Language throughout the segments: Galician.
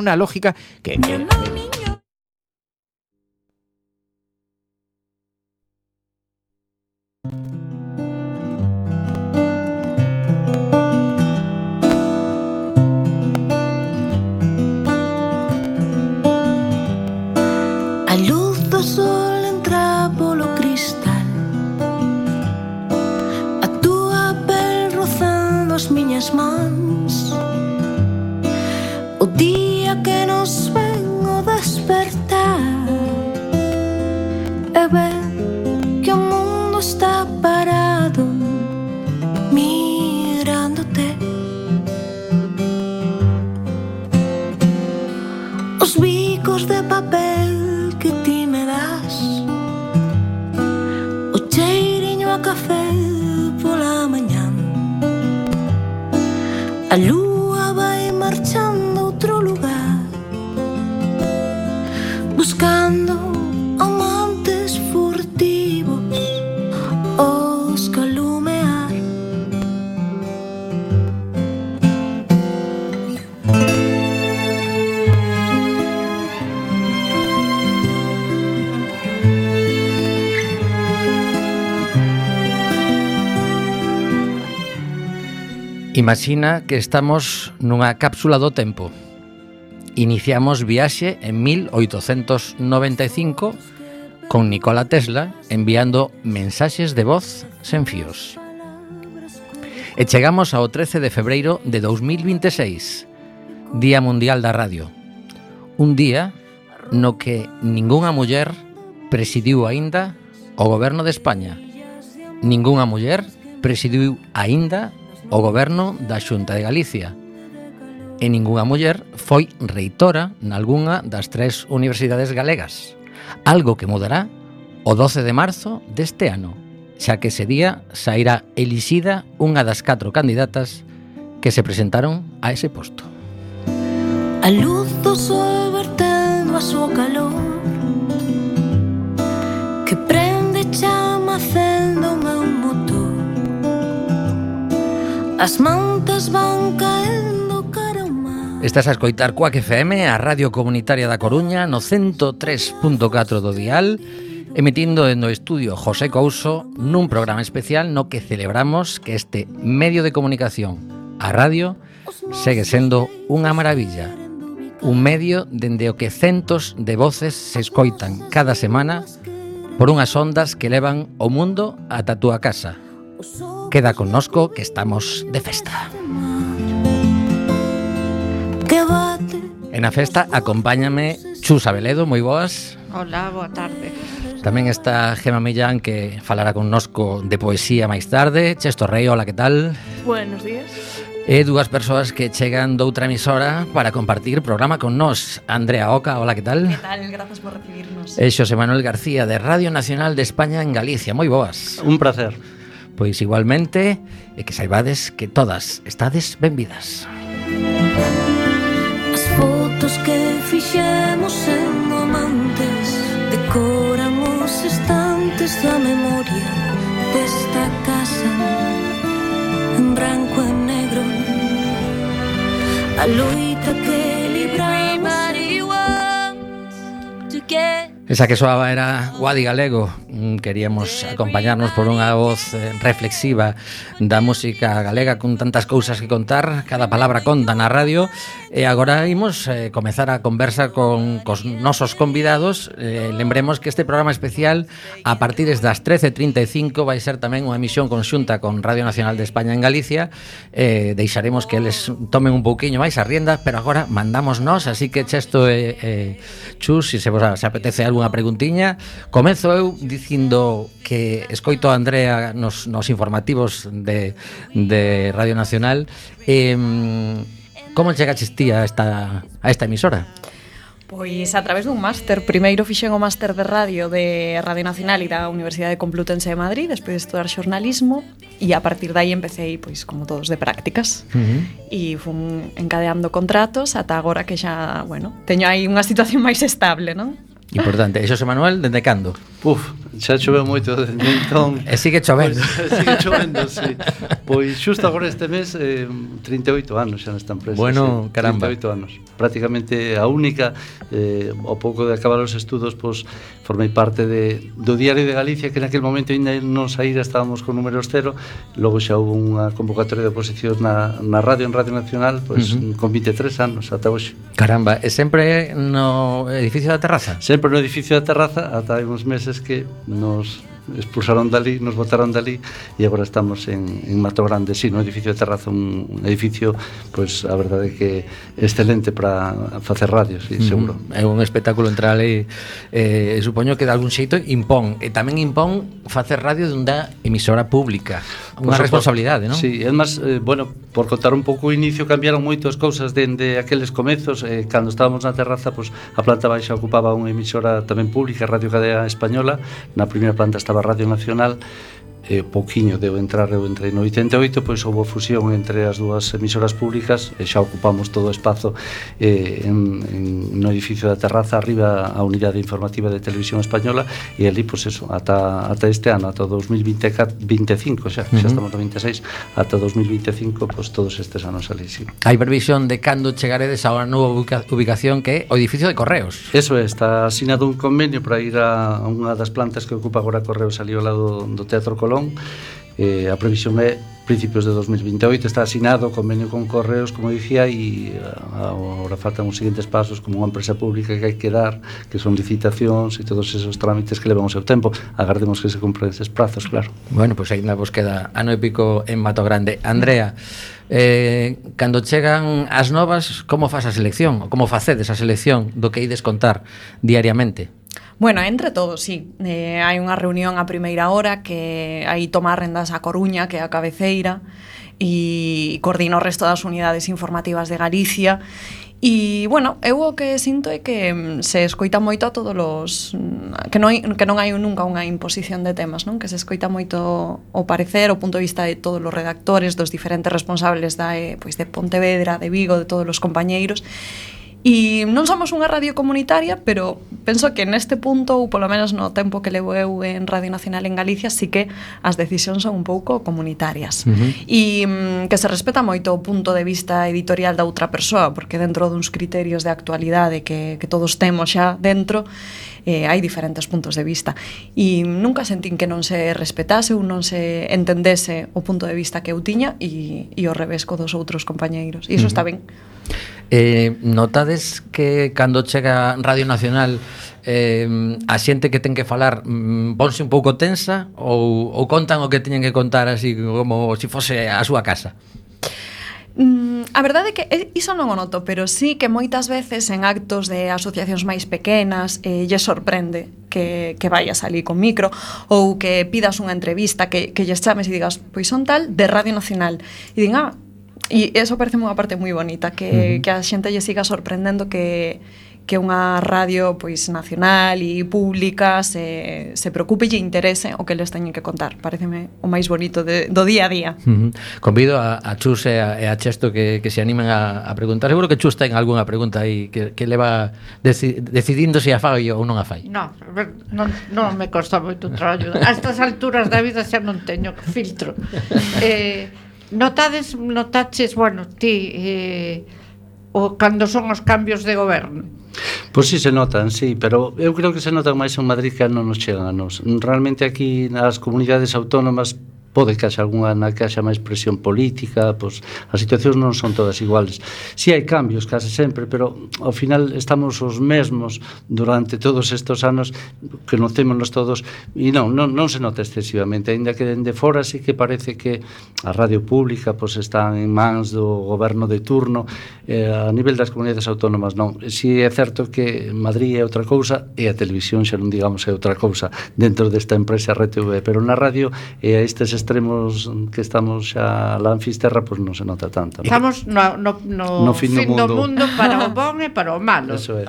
una lógica que a luz do sol entra polo cristal, a túa pel rozando as miñas mans, o día que nos ven o despertar, e ven que o mundo está parado mirándote. Os bicos de papel que ti me das, o cheiriño a café pola mañán, a lúa vai marchando a outro lugar, buscando amantes furtivos os calumear. Imagina que estamos nunha cápsula do tempo. Iniciamos viaxe en 1895 con Nikola Tesla enviando mensaxes de voz sen fíos. E chegamos ao 13 de febreiro de 2026, Día Mundial da Radio. Un día no que ningunha muller presidiu aínda o goberno de España. Ningunha muller presidiu aínda o goberno da Xunta de Galicia. E ningunha muller foi reitora nalgunha das 3 universidades galegas, algo que mudará o 12 de marzo deste ano, xa que ese día sairá elixida unha das 4 candidatas que se presentaron a ese posto. A luz do sol vertendo a súa calor, que prende chama acendo o meu motor, as mantas van caendo cara ao mar. Estás a escoitar Cuac FM, a Radio Comunitaria da Coruña, no 103.4 do dial, emitindo no estudio José Couso nun programa especial no que celebramos que este medio de comunicación, a radio, segue sendo unha maravilla. Un medio dende o que centos de voces se escoitan cada semana por unhas ondas que levan o mundo ata a túa casa. Queda connosco que estamos de festa. E na festa acompáñame Chus Abeledo, moi boas. Hola, boa tarde. Tamén está Gema Millán, que falará connosco de poesía máis tarde. Chesto Rei, hola, que tal? Buenos días. E dúas persoas que chegan doutra emisora para compartir programa con nós. Andrea Oca, hola, que tal? Que tal? Grazas por recibirnos. E Xosé Manuel García, de Radio Nacional de España en Galicia. Moi boas. Un placer. Pois igualmente, e que saibades que todas estades benvidas. As fotos que fixemos sendo amantes decoran os estantes da memoria desta casa, en branco e negro, a loita que libramos. Esa que soaba era Guadi Galego. Queríamos acompañarnos por unha voz reflexiva da música galega con tantas cousas que contar, cada palabra conta na radio. E agora imos comezar a conversa con cos nosos convidados. Lembremos que este programa especial a partir das 13:35 vai ser tamén unha emisión conxunta con Radio Nacional de España en Galicia. Deixaremos que eles tomen un pouquiño máis a rienda, pero agora mandamos nós, así que Chesto e Chus, se vos apetece algunha preguntiña. Comezo eu dicindo que escoito a Andrea nos informativos de Radio Nacional. Como chegaches ti a esta emisora? Pois a través dun máster. Primeiro fixen o máster de radio de Radio Nacional e da Universidade Complutense de Madrid, despois de estudar xornalismo, e a partir dai empecé, pois, como todos, de prácticas. E fun encadeando contratos ata agora que xa, bueno, teño aí unha situación máis estable, non? Importante. E Xosé Manuel, dende cando? Xa choveu moito desde entón. E sigue chovendo. Sigue chovendo, sí. Pois xusto agora este mes 38 anos xa nesta empresa. Bueno, sí, caramba. 38 anos. Prácticamente a única, ao pouco de acabar os estudos, pois formei parte do Diario de Galicia, que naquele momento ainda non saíra, estábamos con números cero. Logo xa houve unha convocatoria de oposicións na radio, en Radio Nacional, pois con 23 anos ata hoxe. Caramba, e sempre no edificio da terraza? Sempre no edificio da terraza, ata hai uns meses que nos expulsaron dali, nos botaron dali e agora estamos en Mato Grande, sí, no edificio de terraza, un edificio, pois a verdade é que excelente para facer radio, sí, seguro. É un espectáculo entrar ali, supoño que de algún xeito impón, e tamén impón facer radio dunha emisora pública, unha responsabilidade, non? Sí, é máis, bueno, por contar un pouco o inicio, cambiaron moitas cousas dende aqueles comezos, cando estábamos na terraza, pois a planta baixa ocupaba unha emisora tamén pública, Radio Cadea Española, na primeira planta estaba Radio Nacional, pouquiño eu entrei no 88, pois houve fusión entre as dúas emisoras públicas e xa ocupamos todo o espazo no edificio da terraza, arriba a unidade informativa de Televisión Española, e ali, pois eso, ata este ano, ata 2025 xa estamos no 26, ata 2025, pois todos estes anos ali, sí. Hai previsión de cando chegaredes a unha nova ubicación que é o edificio de Correos? Eso é, está asinado un convenio para ir a unha das plantas que ocupa agora Correos ali ao lado do Teatro Colón. A previsión é principios de 2028, está asinado o convenio con Correos, como dicía, e agora faltan os seguintes pasos como unha empresa pública que hai que dar, que son licitacións e todos esos trámites que levan o seu tempo. Agardemos que se cumpran eses prazos, claro. Bueno, pois ainda vos queda ano e pico en Mato Grande. Andrea, cando chegan as novas, como faz a selección? Como facedes a selección do que ides contar diariamente? Bueno, entre todos, sí. Hai unha reunión a primeira hora que aí toma rendas a Coruña, que é a cabeceira, e coordina o resto das unidades informativas de Galicia. E, bueno, eu o que sinto é que se escoita moito a todos os... que non hai nunca unha imposición de temas, non? Que se escoita moito o parecer, o punto de vista de todos os redactores, dos diferentes responsables pois de Pontevedra, de Vigo, de todos os compañeiros. E non somos unha radio comunitaria, pero penso que neste punto, ou polo menos no tempo que levo eu en Radio Nacional en Galicia, sí que as decisións son un pouco comunitarias. E que se respeta moito o punto de vista editorial da outra persoa, porque dentro duns criterios de actualidade que todos temos xa dentro, hai diferentes puntos de vista. E nunca sentín que non se respetase ou non se entendese o punto de vista que eu tiña e o revés co dos outros compañeiros. E iso está ben. Notades que cando chega Radio Nacional a xente que ten que falar ponse un pouco tensa ou contan o que teñen que contar así como se fose a súa casa? A verdade é que iso non o noto, pero sí que moitas veces en actos de asociacións máis pequenas lle sorprende que vayas ali con micro ou que pidas unha entrevista, que lles chames e digas, pois son tal de Radio Nacional, e din, e eso parece unha parte moi bonita, que a xente lle siga sorprendendo que unha radio pois nacional e pública se preocupe e lle interese o que les teñen que contar. Pareceme o máis bonito do día a día. Convido a Chus e a Chesto que se animen a preguntar. Seguro que Chus ten algunha pregunta aí que leva decidindo se a fai ou non a fai. Non me costa moito traballo. A estas alturas da vida xa non teño filtro. Notaches, bueno, ti cando son os cambios de goberno? Pois sí se notan, sí, pero eu creo que se notan máis en Madrid que non nos chegan a nos. Realmente aquí nas comunidades autónomas pode que haxa algunha na que haxa máis presión política, pois as situacións non son todas iguales. Si hai cambios case sempre, pero ao final estamos os mesmos durante todos estes anos, que nocémonos todos, e non se nota excesivamente, aínda que dende fora sí que parece que a radio pública pois está en mans do goberno de turno, a nivel das comunidades autónomas non. Si é certo que Madrid é outra cousa e a televisión xa non digamos é outra cousa dentro desta empresa RTV, pero na radio e a estes extremos que estamos xa lá en Fisterra, pois non se nota tanto. Estamos no fin do mundo para o bon e para o malo. Eso é.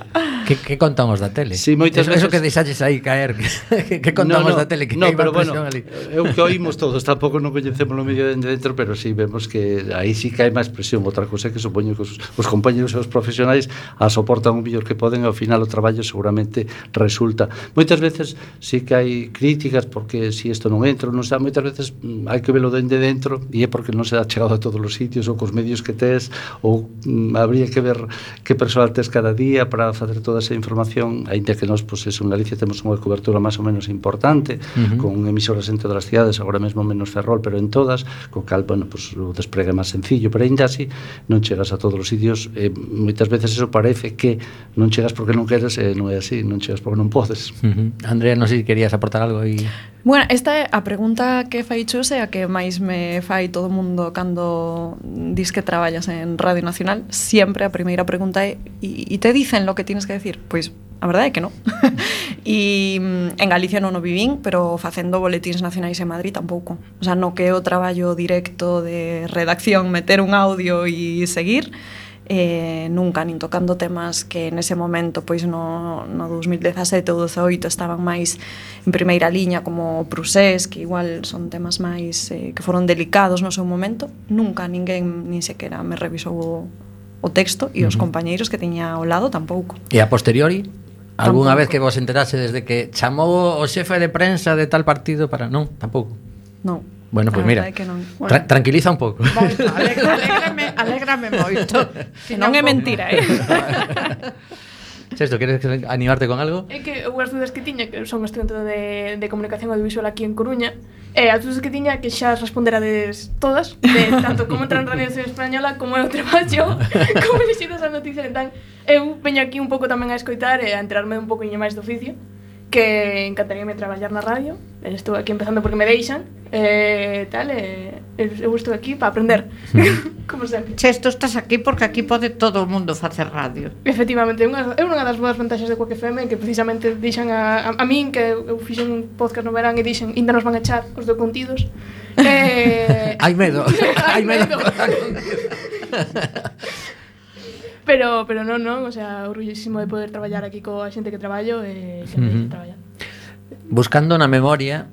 Que contamos da tele? Sí, moitas eso veces... que deixaches aí caer, que contamos da tele, que hai pero bueno, ali. É o que oímos todos, tampouco non coñecemos o medio de dentro, pero sí vemos que aí sí que hai máis presión. Outra cousa é que supoño que os compañeros e os profesionais a soportan o mellor que poden e ao final o traballo seguramente resulta. Moitas veces sí que hai críticas porque si isto non entra, non está, moitas veces hai que velo dende dentro e é porque non se dá chegado a todos os sitios ou cos medios que tes ou habría que ver que persoal tes cada día para facer toda esa información, aínda que nós, pois, en Galicia temos unha cobertura máis ou menos importante, con emisoras en todas as cidades, agora mesmo menos Ferrol, pero en todas, co cal, bueno, pois, o despregue é máis sencillo, pero aínda así non chegas a todos os sitios, moitas veces eso parece que non chegas porque non queres, non é así, non chegas porque non podes. Andrea, non sei se querías aportar algo aí. Bueno, esta é a pregunta que fai Chus e a que máis me fai todo o mundo cando dis que traballas en Radio Nacional. Siempre a primeira pregunta é e te dicen lo que tienes que decir? Pois a verdade é que non. E en Galicia non o vivín, pero facendo boletíns nacionais en Madrid tampouco. O sea, no que é o traballo directo de redacción, meter un audio e seguir, nunca, nin tocando temas que nese momento, pois no 2017 ou 2018 estaban máis en primeira liña, como Prusés, que igual son temas máis que foron delicados no seu momento. Nunca ninguén nin sequera me revisou o texto e os compañeiros que tiña ao lado tampouco. E a posteriori? Alguna Tampouco. vez que vos enterase desde que chamou o xefe de prensa de tal partido para... Non, tampouco. Non. Bueno, pois mira, Bueno. tranquiliza un pouco. Alégrame moito. Que non é mentira, Sexto, queres animarte con algo? É que unhas dudas que tiña, que son estudante de comunicación audiovisual aquí en Coruña, e as dudas que tiña que xa responderades todas, de tanto como entrar en Radio Española como é o traballo, como lexidas as noticias. Entón, eu veño aquí un pouco tamén a escoitar e a enterarme un pouco máis do oficio, que encantaríame traballar na radio. Estou aquí empezando porque me deixan, tal, eu estou aquí para aprender, como sempre. Che, tú estás aquí porque aquí pode todo o mundo facer radio. Efectivamente, é unha das boas vantaxes de Quack FM, que precisamente dixan a min, que eu fixen un podcast no verán e dixen, ainda nos van a echar os do contidos. Hai medo, hai medo. Pero non, o sea, orgullosísimo de poder traballar aquí coa xente que traballo e que me deixa traballar. Buscando na memoria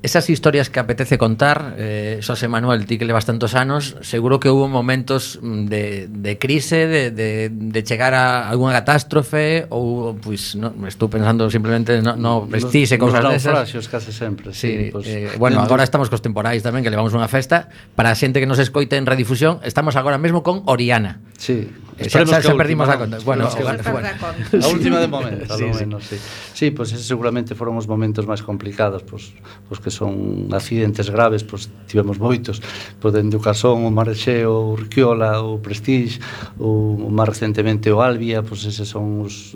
esas historias que apetece contar, Xosé Manuel, ti que levas tantos anos, seguro que hubo momentos de crise, de chegar a alguna catástrofe, ou, pois, no, estou pensando simplemente no vestirse, cousas desas. Nos case sempre, sí. Pues, Bueno, agora estamos cos temporais tamén, que levamos unha festa. Para a xente que nos escoite en redifusión, estamos agora mesmo con Oriana. Sí. Xa perdimos a conta. Bueno, a última de momento, a lo menos, sí. Sí, pues ese seguramente foron os momentos máis complicados, pues que son accidentes graves, pues tivemos moitos, pues dende o Casón, o Marexeo, o Urquiola, o Prestige, o máis recentemente o Albia, pues eses son os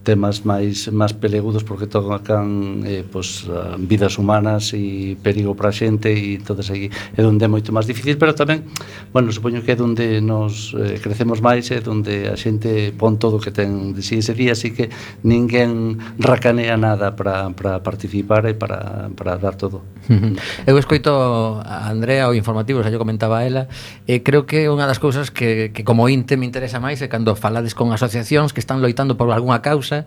temas máis pelegudos porque tocan pues, vidas humanas e perigo para a xente, e entonces aí é onde é moito máis difícil, pero tamén, bueno, supoño que é onde nos crecemos máis, é onde a xente pon todo o que ten de si ese día, así que ninguén racanea nada para participar e para dar todo. Eu escoito a Andrea o informativo, xa yo comentaba a ela, e creo que unha das cousas que como inte me interesa máis é cando falades con asociacións que están loitando por algunha causa,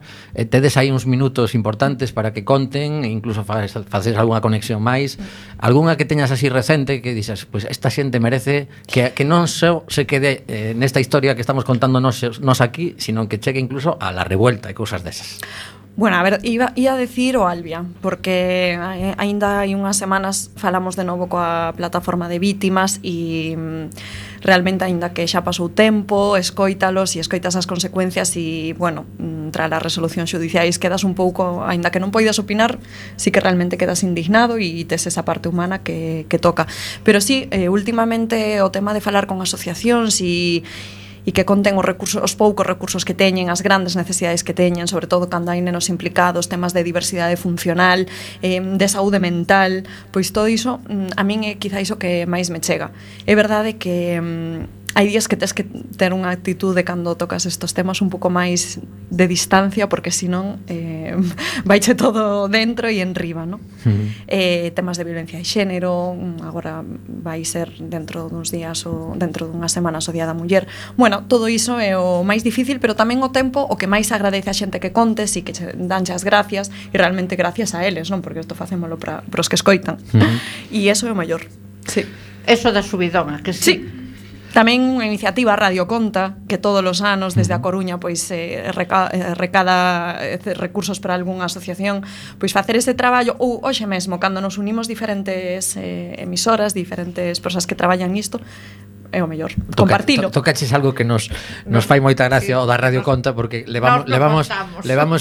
tedes aí uns minutos importantes para que conten, e incluso faces algunha conexión máis, algunha que teñas así recente que dixas, pois esta xente merece que non só se quede nesta historia que estamos contando nos aquí, sino que chegue incluso a la revuelta e cousas desas. Bueno, a ver, ia a decir o Albia, porque aínda hai unhas semanas falamos de novo coa plataforma de vítimas e realmente, aínda que xa pasou tempo, escóitalos e escoitas as consecuencias e, bueno, tras as resolucións xudiciais quedas un pouco, aínda que non poidas opinar, sí que realmente quedas indignado e tes esa parte humana que toca. Pero sí, últimamente o tema de falar con asociacións e que conten os poucos recursos que teñen, as grandes necesidades que teñen, sobre todo cando hai nenos implicados, temas de diversidade funcional, de saúde mental, pois todo iso a min é quizá iso que máis me chega. É verdade que hai días que tes que ter unha actitude cando tocas estos temas un pouco máis de distancia, porque senón vaiche todo dentro e enriba, ¿no? Temas de violencia de xénero, agora vai ser dentro duns días ou dentro dunhas semanas o Día da Muller. Bueno, todo iso é o máis difícil, pero tamén o tempo o que máis agradece a xente que contes e que danche as gracias, e realmente gracias a eles, non? Porque isto facémolo para os que escoitan. E iso é o maior. Sí. Eso da subidón, que sí. Tamén unha iniciativa Radio Conta, que todos os anos desde a Coruña pois recada recursos para algunha asociación, pois facer ese traballo, ou hoxe mesmo cando nos unimos diferentes emisoras, diferentes persoas que traballan nisto, é o mellor, compartilo. Tocaches algo que nos fai moita gracia o da Radio Conta, porque levamos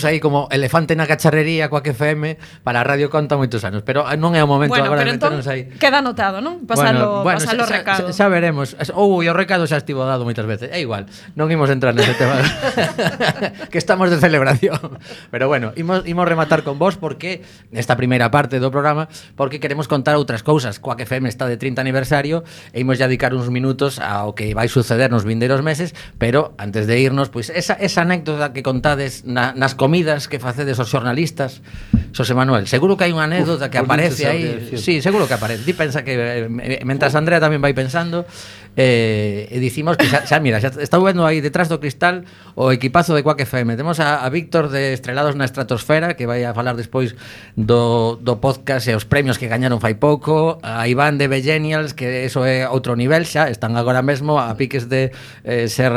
aí como elefante na cacharrería coa FM para a Radio Conta moitos anos, pero non é o momento agora de meternos aí. Queda anotado, non? Pasalo recado. Xa veremos. E o recado xa estivo dado moitas veces. É igual, non imos entrar nese tema que estamos de celebración. Pero bueno, imos rematar con vos porque nesta primeira parte do programa, porque queremos contar outras cousas. Coac FM está de 30 aniversario e imos ya dedicar uns minutos ao que vai suceder nos vindeiros meses, pero antes de irnos, pois esa anécdota que contades nas comidas que facedes os xornalistas, Xosé Manuel, seguro que hai unha anécdota que aparece aí. Sí, seguro que aparece. Ti pensa que mentras Andrea tamén vai pensando, e dicimos que xa mira, xa está vendo aí detrás do cristal o equipazo de Coac FM. Temos a Víctor de Estrelados na Estratosfera, que vai a falar despois do podcast e os premios que gañaron fai pouco, a Iván de Bellenials, que eso é outro nivel xa, están agora mesmo a piques de ser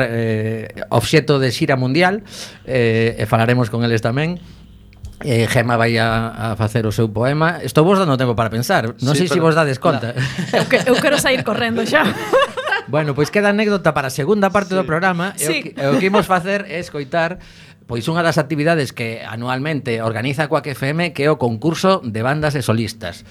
obxeto de xira mundial, e falaremos con eles tamén. Gema vai a facer o seu poema. Estou vos dando tempo para pensar. Non sei se vos dades conta. Eu quero sair correndo xa. Bueno, pois queda anécdota para a segunda parte do programa. E o que imos facer é escoitar pois unha das actividades que anualmente organiza Coac FM, que é o concurso de bandas e solistas.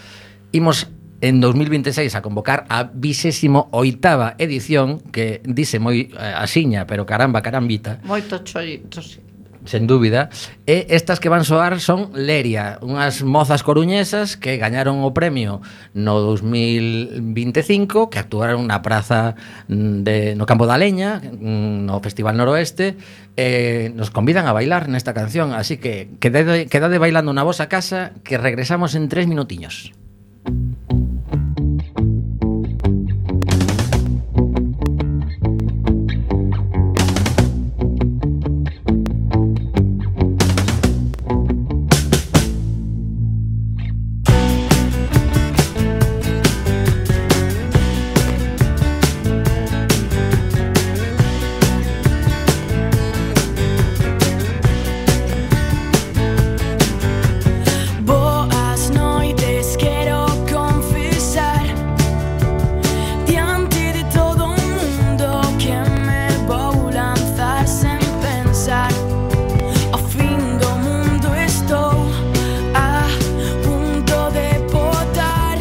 Imos en 2026 a convocar a 28ª edición, que dice moi asiña, pero carambita. Moito choito, sí. Sen dúbida. E estas que van soar son Leria, unhas mozas coruñesas que gañaron o premio no 2025, que actuaron na praza no Campo da Leña, no Festival Noroeste, e nos convidan a bailar nesta canción, así que quedade bailando na vosa casa, que regresamos en 3 minutiños. Boas noites, quero confesar diante de todo o mundo que me vou lanzar sen pensar. Ao fin do mundo estou a punto de botar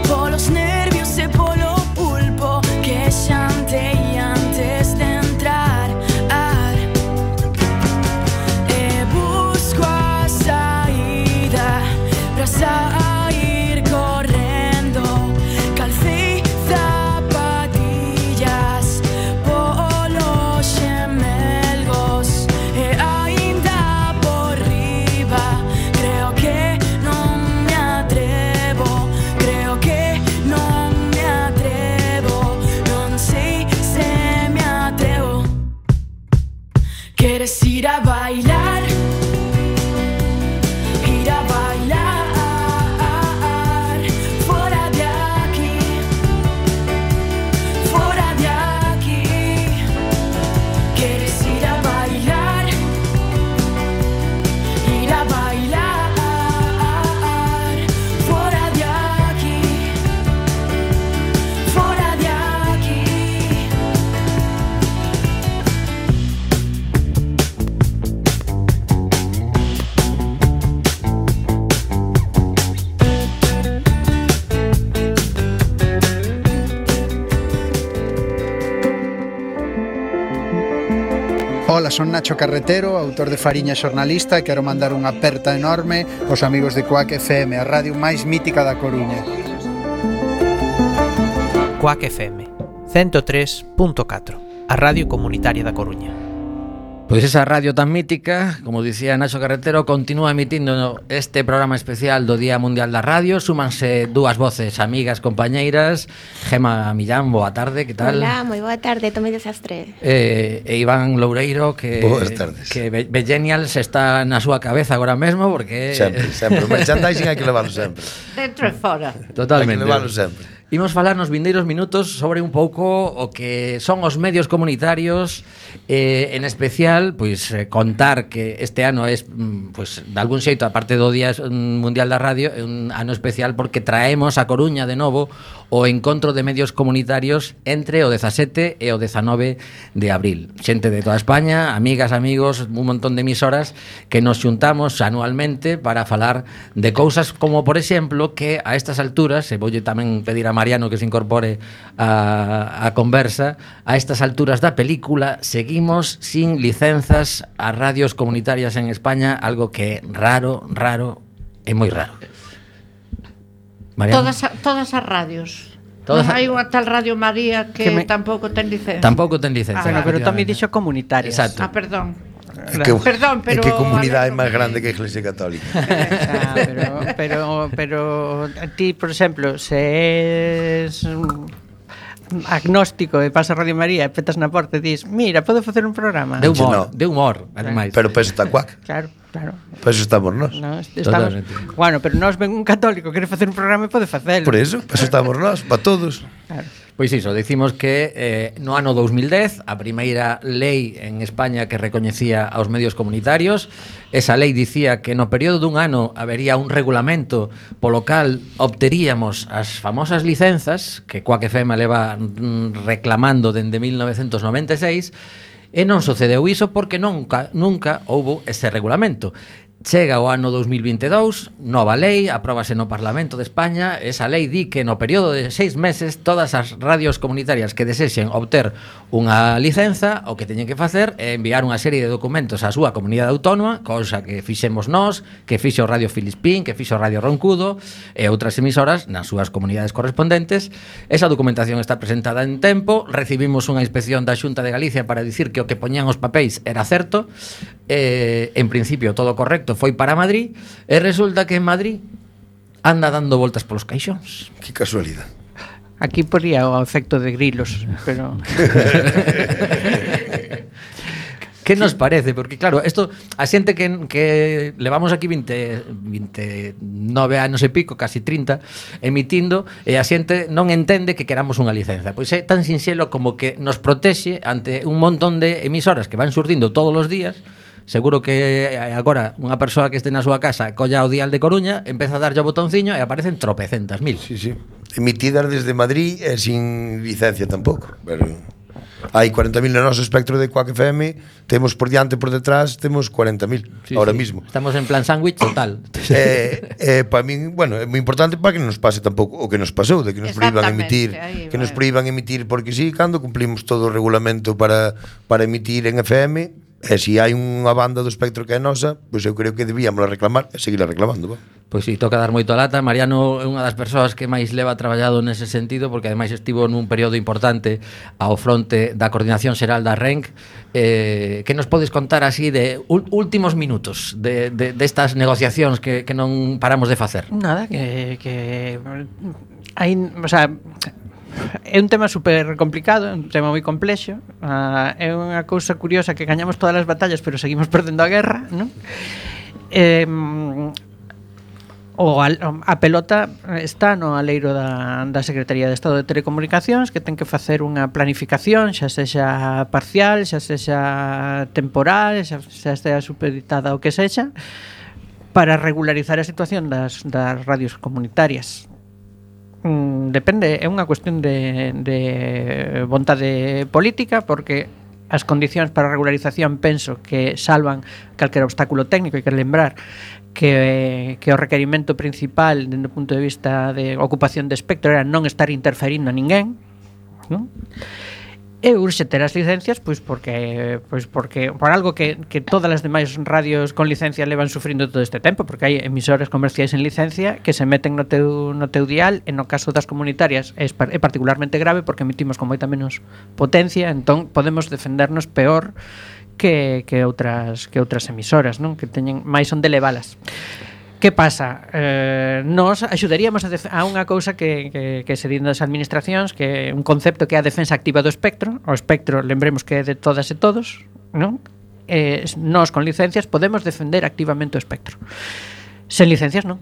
polos nervios e polo pulpo que xantei antes de entrar. E busco a saída pra sair correndo. Calcei zapatillas polos xemelgos e aínda por riba. Creo que non me atrevo, creo que non me atrevo, non sei se me atrevo. Queres ir a bailar? Ir a bailar fora de aquí, fora de aquí. Queres ir a bailar? Ir a bailar fora de aquí, fora de aquí. Ola, son Nacho Carretero, autor de Fariña e xornalista, e quero mandar unha aperta enorme aos amigos de Coac FM, a radio máis mítica da Coruña. Coac FM, 103.4, a Radio Comunitaria da Coruña. Pois esa radio tan mítica, como dicía Nacho Carretero, continúa emitindo este programa especial do Día Mundial da Radio. Súmanse dúas voces amigas, compañeiras. Gema Millán, boa tarde, que tal? Hola, moi boa tarde, tomei desastre. E Iván Loureiro, que boas tardes. Que Bellenials está na súa cabeza agora mesmo, porque sempre, o merchandising hai que leválo sempre. Dentro e fora. Totalmente. Hai que leválo sempre. Imos falar nos vindeiros minutos sobre un pouco o que son os medios comunitarios, en especial, pois contar que este ano é, pois, de algún xeito, aparte do Día Mundial da Radio, é un ano especial porque traemos a Coruña de novo o encontro de medios comunitarios entre o 17 e o 19 de abril. Xente de toda España, amigas, amigos, un montón de emisoras que nos xuntamos anualmente para falar de cousas como, por exemplo, que a estas alturas, e voulle tamén pedir a Mariano que se incorpore a conversa, a estas alturas da película seguimos sin licenzas a radios comunitarias en España, algo que é raro e moi raro. Mariano? Todas as radios. Non hai unha tal Radio María que tampouco ten licencia. Tampouco ten licencia. Pero tamén dixo comunitarias. Exacto. Perdón. Perdón, pero que comunidade é máis grande que a Iglesia Católica. Pero ti, por exemplo, se es agnóstico e pasa Radio María e petas na porta e dis, mira, podo facer un programa de humor, ademais. Pero peso está cuac. Claro. Peso estamos nós. Bueno, pero nós ven un católico quere facer un programa e pode facelo. Por eso, peso estamos nós, para todos. Claro. Pois iso, decimos que no ano 2010 a primeira lei en España que recoñecía aos medios comunitarios, esa lei dicía que no período dun ano habería un regulamento polo cal obteríamos as famosas licenzas que Quack FM leva reclamando dende 1996, e non sucedeu iso porque nunca houbo ese regulamento. Chega o ano 2022, nova lei, apróbase no Parlamento de España. Esa lei di que no período de 6 meses todas as radios comunitarias que desexen obter unha licenza, o que teñen que facer é enviar unha serie de documentos á súa comunidade autónoma, cousa que fixemos nós, que fixo Radio Filispín, que fixo Radio Roncudo e outras emisoras nas súas comunidades correspondentes. Esa documentación está presentada en tempo, recibimos unha inspección da Xunta de Galicia para dicir que o que poñían os papéis era certo, en principio todo correcto, foi para Madrid, e resulta que en Madrid anda dando voltas polos caixóns. Que casualidade. Aquí poría o efecto de grilos, pero que nos parece? Porque claro, isto a xente que levamos aquí 29 anos e pico, casi 30, emitindo, e a xente non entende que queramos unha licenza. Pois é tan sinxelo como que nos protexe ante un montón de emisoras que van surdindo todos os días. Seguro que agora unha persoa que este na súa casa colla o dial de Coruña, empeza a darlle o botonciño e aparecen tropecentas mil. Sí. Emitidas desde Madrid e sin licencia tampouco. Pero hai 40.000 no noso espectro de Quack FM, temos por diante e por detrás, temos 40.000 ahora mismo. Estamos en plan sándwich total. Para min, bueno, é moi importante para que non nos pase tampouco o que nos pasou, de que nos prohíban emitir, porque sí, cando cumplimos todo o regulamento para emitir en FM. E se hai unha banda do espectro que é nosa, pois eu creo que debíamos reclamar e seguir reclamando. Pois si, toca dar moito a lata. Mariano é unha das persoas que máis leva traballado nese sentido, porque ademais estivo nun período importante ao fronte da Coordinación Xeral da RENC. Que nos podes contar así de últimos minutos de estas negociacións que non paramos de facer? Nada, que hai, o sea, é un tema super complicado, é un tema moi complexo, é unha cousa curiosa que gañamos todas as batallas pero seguimos perdendo a guerra, non? A pelota está no aleiro da Secretaría de Estado de Telecomunicacións, que ten que facer unha planificación, xa sexa parcial, xa sexa temporal, xa sexa supeditada o que sexa, para regularizar a situación das radios comunitarias. Depende, é unha cuestión de vontade política, porque as condicións para a regularización penso que salvan calquera obstáculo técnico. Hai que lembrar que o requerimento principal dende o punto de vista de ocupación de espectro era non estar interferindo a ninguén, non? E urxe ter as licencias porque por algo que todas as demais radios con licencia levan sufrindo todo este tempo, porque hai emisoras comerciais en licencia que se meten no teu dial, e no caso das comunitarias é particularmente grave porque emitimos con moita menos potencia, entón podemos defendernos peor que outras emisoras, non? Que teñen máis onde levalas. Que pasa? Nos axudaríamos a unha cousa que se di das administracións, que é un concepto que é a defensa activa do espectro. O espectro, lembremos que é de todas e todos, non? Nós con licencias podemos defender activamente o espectro. Sen licencias non.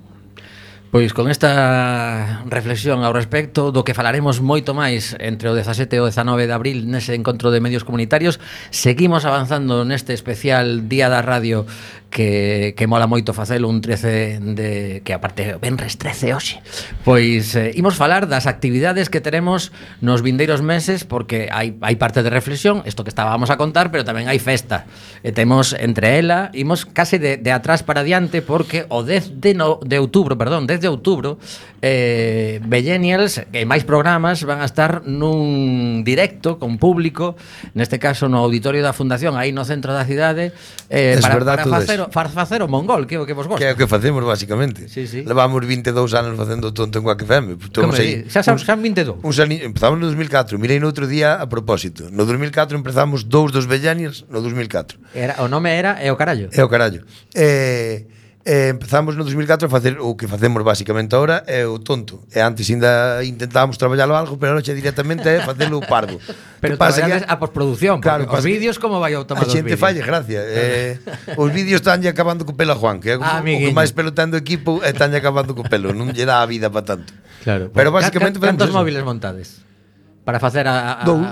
Pois con esta reflexión ao respecto do que falaremos moito máis entre o 17 e o 19 de abril nese encontro de medios comunitarios, seguimos avanzando neste especial Día da Radio que mola moito facelo un 13 de que aparte venres 13 hoxe. Pois imos falar das actividades que teremos nos vindeiros meses, porque hai parte de reflexión, isto que estábamos a contar, pero tamén hai festa. E temos entre ela, imos case de atrás para adiante, porque o 10 de outubro, Vellenials e máis programas van a estar nun directo con público, neste caso no auditorio da Fundación, aí no centro da cidade, para facer o mongol, que é o que vos gosta. Que é o que facemos, basicamente. Sí. Levamos 22 anos facendo tonto en Quack FM. Xa 22? Empezamos no 2004, mirei no outro día a propósito. No 2004 empezamos 2 dos Vellenials, no 2004. O nome era É o carallo. É o carallo. Empezamos no 2004 a facer o que facemos basicamente ahora é o tonto. E antes ainda intentábamos traballalo algo, pero ahora directamente é facelo pardo. Pero traballades a postproducción, claro, os vídeos como vai o tomar os vídeos. A xente falle gracia. Os vídeos estánlle acabando co pelo a Juan, que é o que máis pelo ten do equipo, e estánlle acabando co pelo, non lle dá a vida para tanto. Claro. Pero basicamente cantos móviles montades? Para facer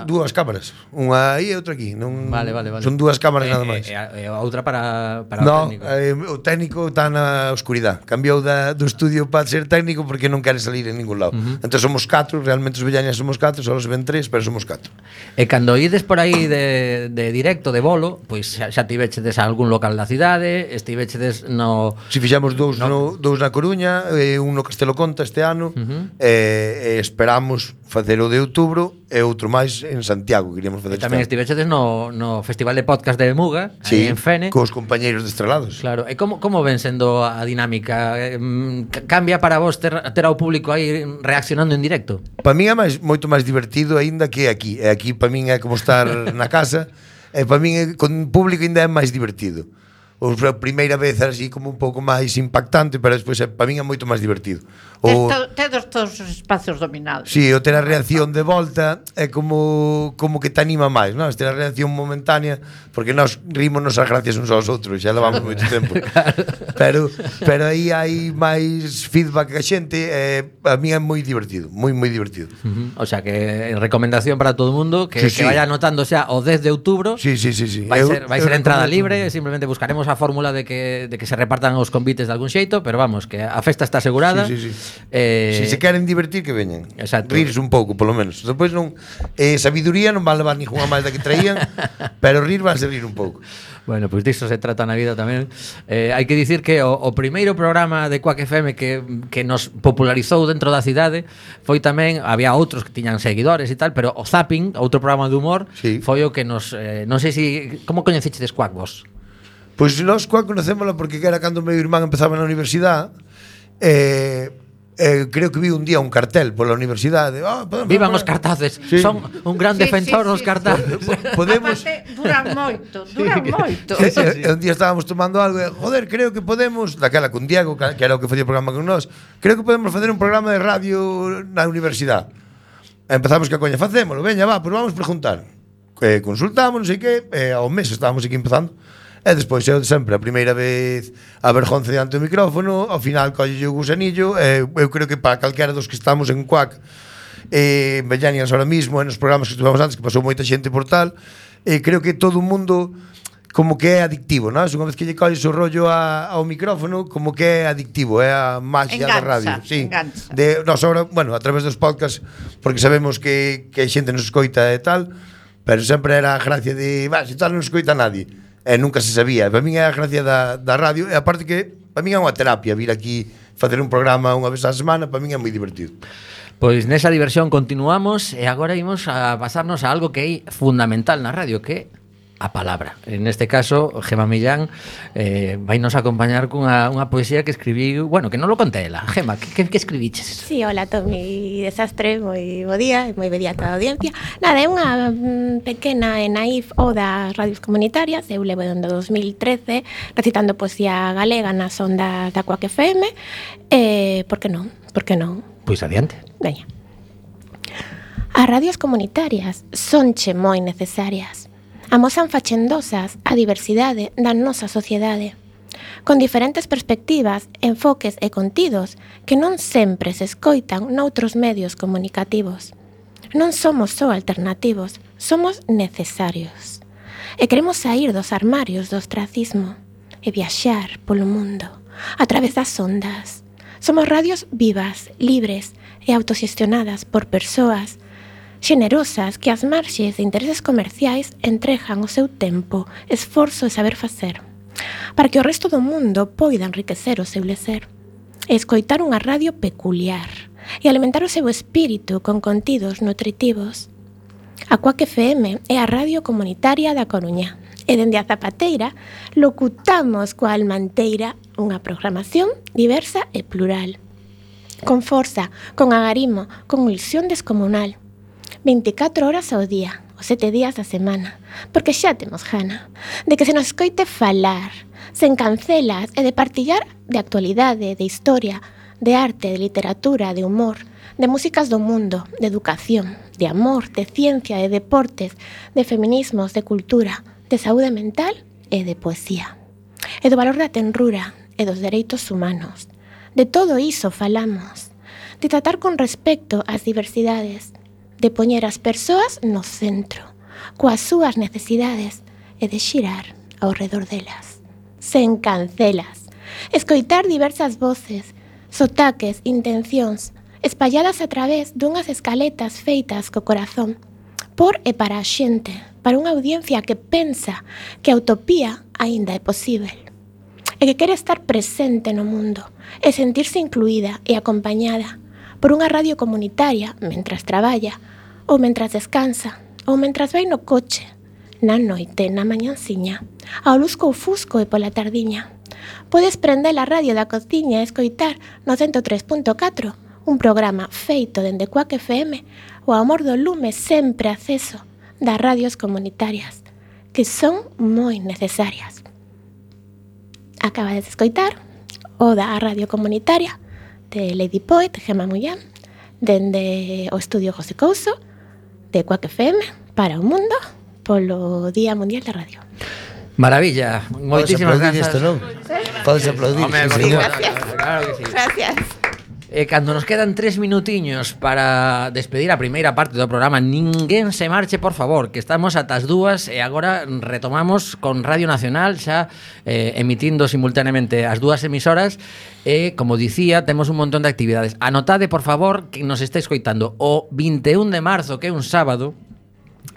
dúas cámaras, unha aí e outra aquí, non. Vale. Son dúas cámaras nada máis. E a outra para o técnico. O técnico está na oscuridade. Cambiou do estudio para ser técnico porque non quere salir en ningún lado. Entón somos 4, realmente os Vellenials somos 4, só se ven 3, pero somos 4. E cando ides por aí de directo, de bolo, pois xa tivechedes a algún local da cidade, estivechedes no... Si fixamos dous na Coruña, un no Castelo Conta este ano, e esperamos facer o de outubro e outro máis en Santiago, queríamos facer. Tamén estivechedes no Festival de Podcast de Muga, sí, en Fene. Cos compañeiros de Estrelados. Claro, e como ven sendo a dinámica? Cambia para vos ter ao público aí reaccionando en directo? Para min é moito máis divertido aínda que aquí. E aquí para min é como estar na casa, e para min con público aínda é máis divertido. A primeira vez era así como un pouco máis impactante, pero despois para min é moito máis divertido. Tedes todos os espacios dominados. Si, o ter a reacción de volta é como que te anima máis, non? Ter a reacción momentánea, porque nós rímonos as gracias uns aos outros, xa levamos moito tempo. Pero aí hai máis feedback que a xente, a mí é moi divertido, moi divertido. O sea, que recomendación para todo o mundo que vaya anotando xa o 10 de outubro. Sí. Vai ser entrada libre, simplemente buscaremos a fórmula de que se repartan os convites de algún xeito, pero vamos, que a festa está asegurada. Sí. Se se queren divertir, que veñan. Exacto. Rirse un pouco, polo menos. Depois non sabiduría non van levar ninguna máis da que traían, pero rir van a rir un pouco. Bueno, pois disso se trata na vida tamén. Hai que dicir que o primeiro programa de Quack FM que nos popularizou dentro da cidade foi tamén, había outros que tiñan seguidores e tal, pero o Zapping, outro programa de humor, foi o que nos... non sei se... Como coñecechedes Quack vos? Pois nós Quack conocémoslo porque era cando o meu irmán empezaba na universidade, creo que vi un día un cartel pola universidade. Vivan os cartaces, son un gran defensor dos cartaces. Podemos... Duran moito. Un día estábamos tomando algo e, joder, creo que podemos, daquela con Diego, que era o que facía o programa con nós, creo que podemos facer un programa de radio na universidade. Empezamos que a coña, facémolo, veña, pois vamos preguntar. Consultamos, non sei que, ao mes estábamos aquí empezando. E despois eu sempre, a primeira vez a vergonza diante do micrófono, ao final colle o gusanillo, eu creo que para calquera dos que estamos en Quack, en Vellenials ahora mismo, en os programas que estuvamos antes, que pasou moita xente por tal, creo que todo o mundo como que é adictivo, non? Unha vez que lle colles o rollo ao micrófono, como que é adictivo, é a magia da radio. Sí. Nos ahora, bueno, a través dos podcasts, porque sabemos que a xente nos escoita e tal, pero sempre era a gracia de, se tal non escoita nadie. E nunca se sabía. Para min é a gracia da radio, e aparte que para min é unha terapia vir aquí facer un programa unha vez á semana, para min é moi divertido. Pois nesa diversión continuamos e agora imos a pasarnos a algo que é fundamental na radio, que é a palabra. En este caso, Gema Millán vai nos acompañar cunha poesía que escribiu, bueno, que non lo conté ela. Gema, que escribiches? Sí, hola Tomi Desastre, moi bo día e moi bo día a toda a audiencia. Nada, é unha pequena e naif oda ás radios comunitarias. Eu levo dende 2013 recitando poesía galega nas ondas da Coac FM. Por que non? Por que non? Pois adiante. Veña. As radios comunitarias sonche moi necesarias. Amosan fachendosas a diversidade da nosa sociedade, con diferentes perspectivas, enfoques e contidos que non sempre se escoitan noutros medios comunicativos. Non somos só alternativos, somos necesarios. E queremos saír dos armarios do ostracismo e viaxar polo mundo a través das ondas. Somos radios vivas, libres e autoxestionadas por persoas xenerosas que ás marxes de intereses comerciais entregan o seu tempo, esforzo e saber facer, para que o resto do mundo poida enriquecer o seu lecer, e escoitar unha radio peculiar, e alimentar o seu espírito con contidos nutritivos. A Coac FM é a radio comunitaria da Coruña, e dende a Zapateira locutamos coa Almanteira unha programación diversa e plural, con forza, con agarimo, con ilusión descomunal, 24 horas ao día, os 7 días da semana, porque xa temos gana de que se nos escoite falar, sen cancelas e de partillar de actualidade, de historia, de arte, de literatura, de humor, de músicas do mundo, de educación, de amor, de ciencia, de deportes, de feminismos, de cultura, de saúde mental e de poesía, e do valor da tenrura e dos dereitos humanos. De todo iso falamos, de tratar con respecto ás diversidades, de poñer as persoas no centro, coas súas necesidades e de xirar ao redor delas, sen cancelas, escoitar diversas voces, sotaques, intencións, espalladas a través dunhas escaletas feitas co corazón, por e para a xente, para unha audiencia que pensa que a utopía aínda é posible, e que quere estar presente no mundo, e sentirse incluída e acompañada por unha radio comunitaria mentras traballa, ou mentras descansa, ou mentras vai no coche, na noite, na mañanciña, ao lusco ou fusco e pola tardiña. Podes prender a radio da cociña e escoitar no 103.4 un programa feito dende Coac FM, o amor do lume sempre acceso das radios comunitarias, que son moi necesarias. Acaba de escoitar Oda á radio comunitaria de Lady Poet, Gema Millán, dende o estudio José Couso, de Coac FM, para o mundo, polo Día Mundial da Radio. Maravilla, moitísimas grazas. Podes aplaudir, Sí, gracias. Claro que sí. Gracias. Cando nos quedan 3 minutiños para despedir a primeira parte do programa, ninguén se marche, por favor, que estamos ata as 2 e agora retomamos con Radio Nacional xa emitindo simultaneamente as 2 emisoras e, como dicía, temos un montón de actividades. Anotade, por favor, que nos estáis escoitando o 21 de marzo, que é un sábado,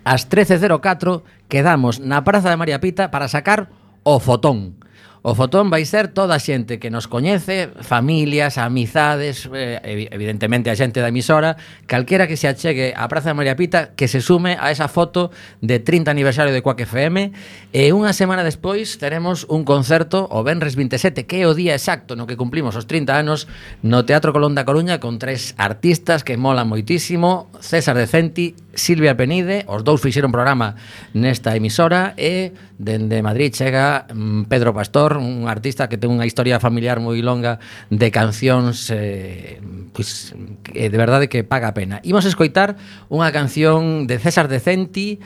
ás 13:04 quedamos na Praza de María Pita para sacar o fotón. O fotón vai ser toda a xente que nos coñece, familias, amizades, evidentemente a xente da emisora, calquera que se achegue á Praza de María Pita, que se sume a esa foto de 30 aniversario de Coac FM, e unha semana despois teremos un concerto o venres 27, que é o día exacto no que cumplimos os 30 anos, no Teatro Colón da Coruña, con 3 artistas que molan moitísimo, César Decenti, Silvia Penide, os dous fixeron programa nesta emisora, e dende Madrid chega Pedro Pastor, un artista que ten unha historia familiar moi longa de cancións pois, de verdade que paga a pena. Imos escoitar unha canción de César Decenti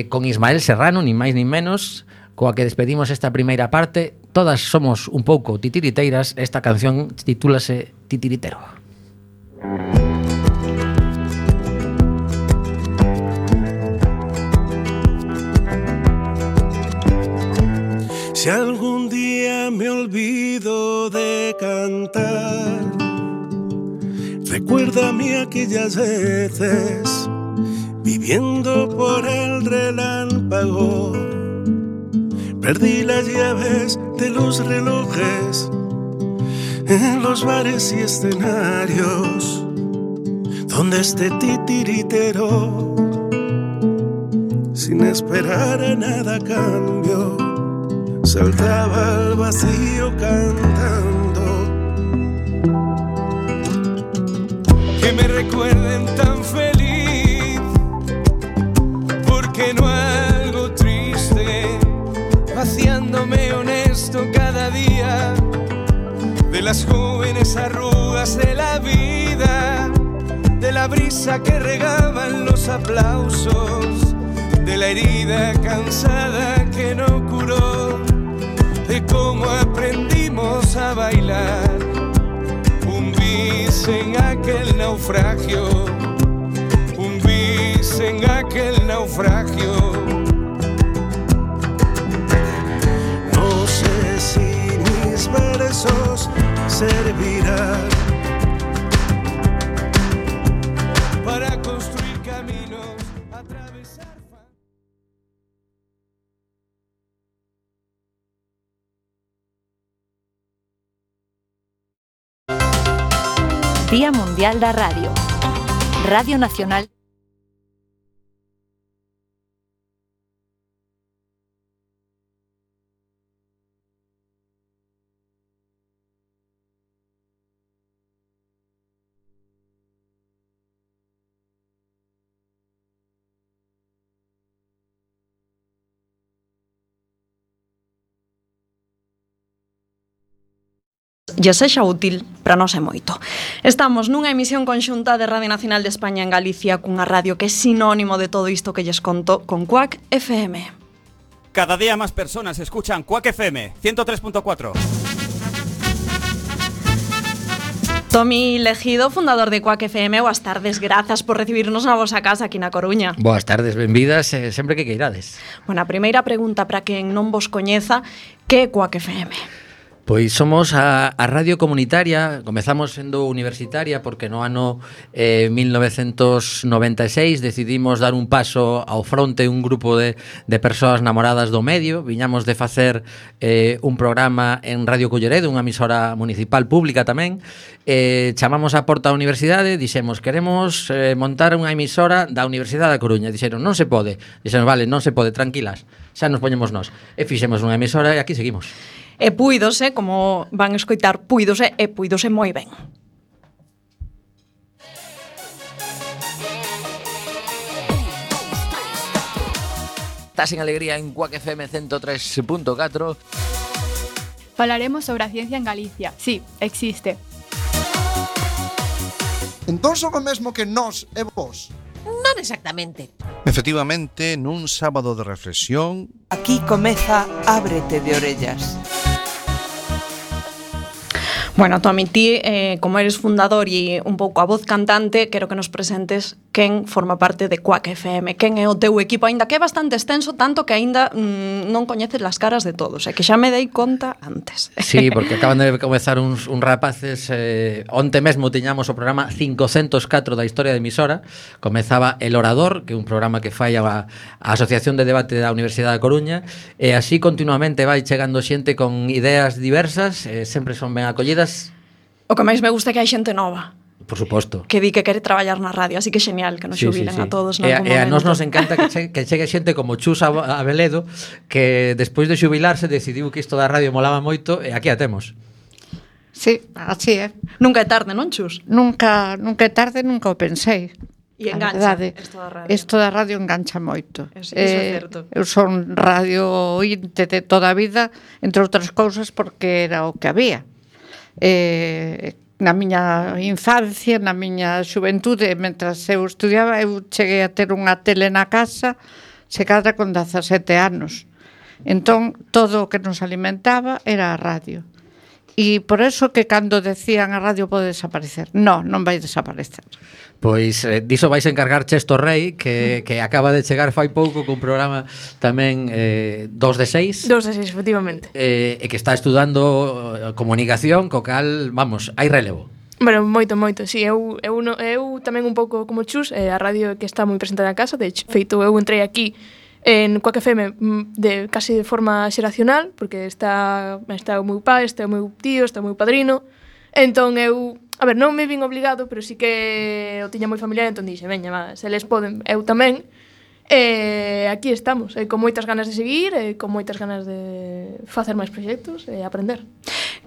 con Ismael Serrano, nin máis nin menos, coa que despedimos esta primeira parte. Todas somos un pouco titiriteiras. Esta canción titúlase Titiritero. Si algún día me olvido de cantar, recuérdame aquellas veces viviendo por el relámpago. Perdí las llaves de los relojes en los bares y escenarios. donde este titiritero, sin esperar a nada a cambio, saltaba al vacío cantando. Que me recuerden tan feliz, porque no algo triste, vaciándome honesto cada día de las jóvenes arrugas de la vida, de la brisa que regaban los aplausos, de la herida cansada que no curó, de cómo aprendimos a bailar un bis en aquel naufragio, un bis en aquel naufragio. No sé si mis versos servirán para construir caminos, atravesar. Día Mundial da Radio. Radio Nacional. lle sexa útil, para nós é moito. Estamos nunha emisión conxunta de Radio Nacional de España en Galicia cunha radio que é sinónimo de todo isto que lles conto con Quack FM. Cada día más personas escuchan Quack FM 103.4. Tomi Legido, fundador de Quack FM, boas tardes, grazas por recibirnos na vosa casa aquí na Coruña. Boas tardes, benvidas, sempre que queirades. Bueno, a primeira pregunta para quen non vos coñeza, que é Quack FM? Pois somos a radio comunitaria, comezamos sendo universitaria porque no ano 1996 decidimos dar un paso ao fronte un grupo de persoas namoradas do medio, viñamos de facer un programa en Radio Culleredo, unha emisora municipal pública tamén, chamamos a porta da universidade, dixemos, queremos montar unha emisora da Universidade da Coruña, dixeron, non se pode, dixeron, vale, non se pode, tranquilas, xa nos poñemos nós, e fixemos unha emisora e aquí seguimos. E puídose, como van escoitar, puídose moi ben. Estás en alegría en Quack FM 103.4. Falaremos sobre a ciencia en Galicia. Sí, existe. Entón son o mesmo que nós e vos? Non exactamente. Efectivamente, nun sábado de reflexión. Aquí comeza Ábrete de orellas. Bueno, Tomi, ti, como eres fundador e un pouco a voz cantante, quero que nos presentes quen forma parte de Quack FM, quen é o teu equipo, aínda que é bastante extenso, tanto que aínda non coñeces las caras de todos, que xa me dei conta antes. Sí, porque acaban de comezar uns rapaces, onte mesmo tiñamos o programa 504 da historia de emisora, comezaba El Orador, que é un programa que fai a Asociación de Debate da Universidade da Coruña, e así continuamente vai chegando xente con ideas diversas, sempre son ben acollidas. O que máis me gusta é que hai xente nova. Por suposto. Que di que quere traballar na radio, así que genial que nos xubilen a todos nalgún momento. E a nós nos encanta que chegue xente como Chus Abeledo, que despois de xubilarse decidiu que isto da radio molaba moito e aquí a temos. Sí, así é. Nunca é tarde, non, Chus? Nunca é tarde, nunca o pensei. E engancha isto da radio. Isto da radio engancha moito. Iso é certo. Eu son radio ointe de toda a vida, entre outras cousas porque era o que había. Na miña infancia, na miña xuventude, mentras eu estudiaba, eu cheguei a ter unha tele na casa, chegada con 17 anos. Entón, todo o que nos alimentaba era a radio. E por eso que cando decían a radio pode desaparecer. Non vai desaparecer. Pois diso vais encargar Chesto Rei, que acaba de chegar fai pouco cun programa tamén 2 de 6. 2 de 6, efectivamente. E que está estudando comunicación, co cal, vamos, hai relevo. Bueno, moito, sí, eu tamén un pouco como Chus, a radio que está moi presente na casa, de feito eu entrei aquí en Quack FM casi de forma xeracional, porque está o meu pai, está o meu tío, está o meu padrino, entón eu a ver, non me vin obligado, pero sí que o tiña moi familiar, entón dixe, veña, va, se les poden, eu tamén. Aquí estamos, con moitas ganas de seguir, con moitas ganas de facer máis proxectos e aprender.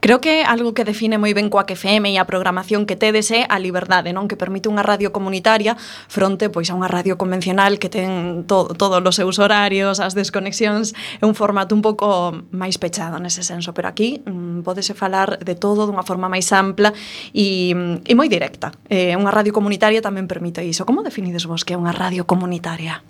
Creo que algo que define moi ben Quack FM e a programación que tedes é a liberdade, non? Que permite unha radio comunitaria fronte pois a unha radio convencional que ten todos os seus horarios, as desconexións, é un formato un pouco máis pechado nese senso, pero aquí pódese falar de todo dunha forma máis ampla e moi directa. Unha radio comunitaria tamén permite iso. Como definides vos que é unha radio comunitaria?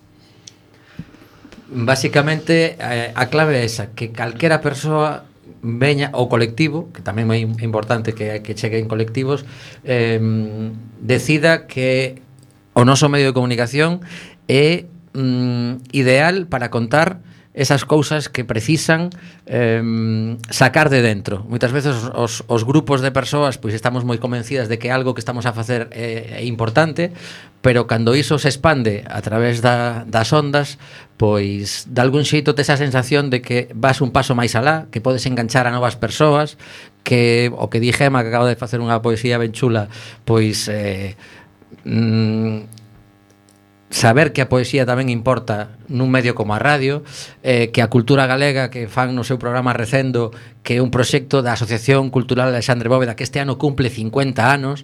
Básicamente, a clave é esa, que calquera persoa veña o colectivo, que tamén é importante que cheguen colectivos, decida que o noso medio de comunicación é ideal para contar esas cousas que precisan sacar de dentro. Moitas veces os grupos de persoas pois estamos moi convencidas de que algo que estamos a facer é importante, pero cando iso se expande a través das ondas, pois de algún xeito tes a sensación de que vas un paso máis alá, que podes enganchar a novas persoas, que o que di Gema, que acaba de facer unha poesía ben chula, pois saber que a poesía tamén importa nun medio como a radio, que a cultura galega que fan no seu programa Recendo, que é un proxecto da Asociación Cultural Alexandre Bóveda que este ano cumple 50 anos,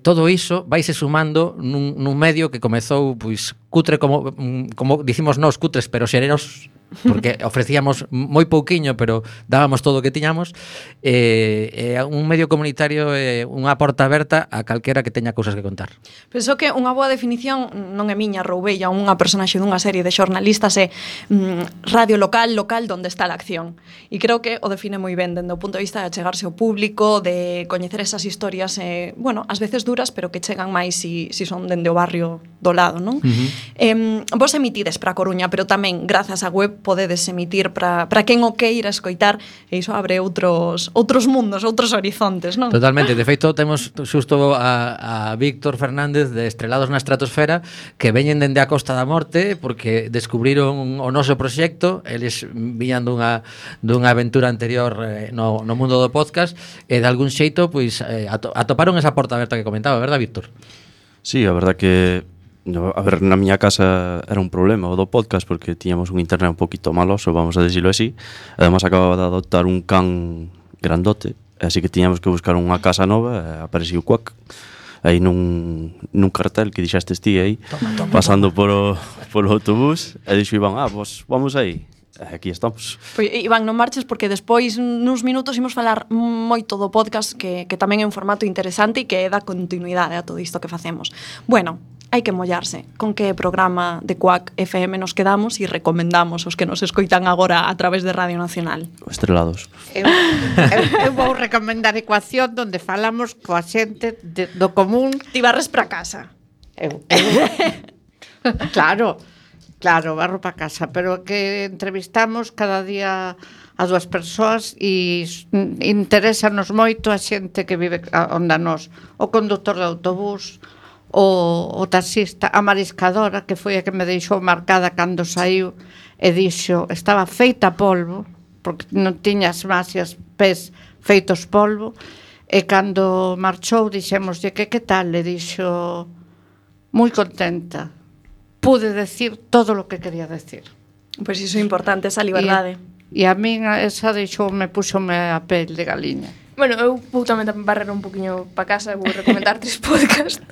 todo iso vaise sumando nun medio que comezou pois cutre como dicimos nós, cutres pero xereros, porque ofrecíamos moi pouquiño, pero dábamos todo o que tiñamos. Un medio comunitario é unha porta aberta a calquera que teña cousas que contar. Penso que unha boa definición non é miña, roubella unha personaxe dunha serie de xornalistas, é radio local donde está a acción. E creo que o define moi ben dende o punto de vista de achegarse ao público, de coñecer esas historias, bueno, ás veces duras, pero que chegan máis si son dende o barrio do lado, non? Vos emitides para a Coruña, pero tamén, grazas á web, podedes emitir para quen o queira escoitar, e iso abre outros mundos, outros horizontes, non? Totalmente, de feito temos xusto a Víctor Fernández de Estrelados na Estratosfera, que veñen dende a Costa da Morte porque descubriron o noso proxecto, eles viñan dunha aventura anterior no mundo do podcast, e de algún xeito pois atoparon esa porta aberta que comentaba, verdad, Víctor? Sí, a verdad que a ver, na miña casa era un problema o do podcast porque tiñamos un internet un poquito maloso, vamos a decirlo así. Además acababa de adoptar un can grandote, así que tiñamos que buscar unha casa nova, e apareciu Quack aí nun cartel que dixastes ti aí, pasando polo autobús, e dixo Iván, pues vamos aí. Aquí estamos. Pois, Iván, non marches porque despois nuns minutos imos falar moito do podcast que tamén é un formato interesante e que dá continuidade a todo isto que facemos. Bueno, hai que mollarse. Con que programa de Quack FM nos quedamos e recomendamos os que nos escoitan agora a través de Radio Nacional? Estrelados. Eu vou recomendar Ecuación, onde falamos coa xente do común. Ti barres para casa. Claro, barro para casa, pero que entrevistamos cada día a dúas persoas e interésanos moito a xente que vive onde nós, o conductor de autobús, o taxista, a mariscadora, que foi a que me deixou marcada cando saiu e dixo, estaba feita polvo, porque non tiñas máis as pés feitos polvo, e cando marchou dixémoslle que tal, e dixo, moi contenta, pude decir todo o que quería decir. Pois iso é importante, esa liberdade. E a min esa me púxome a pel de galiña. Bueno, eu vou tamén barrer un poquinho para casa, vou recomendar 3 podcasts.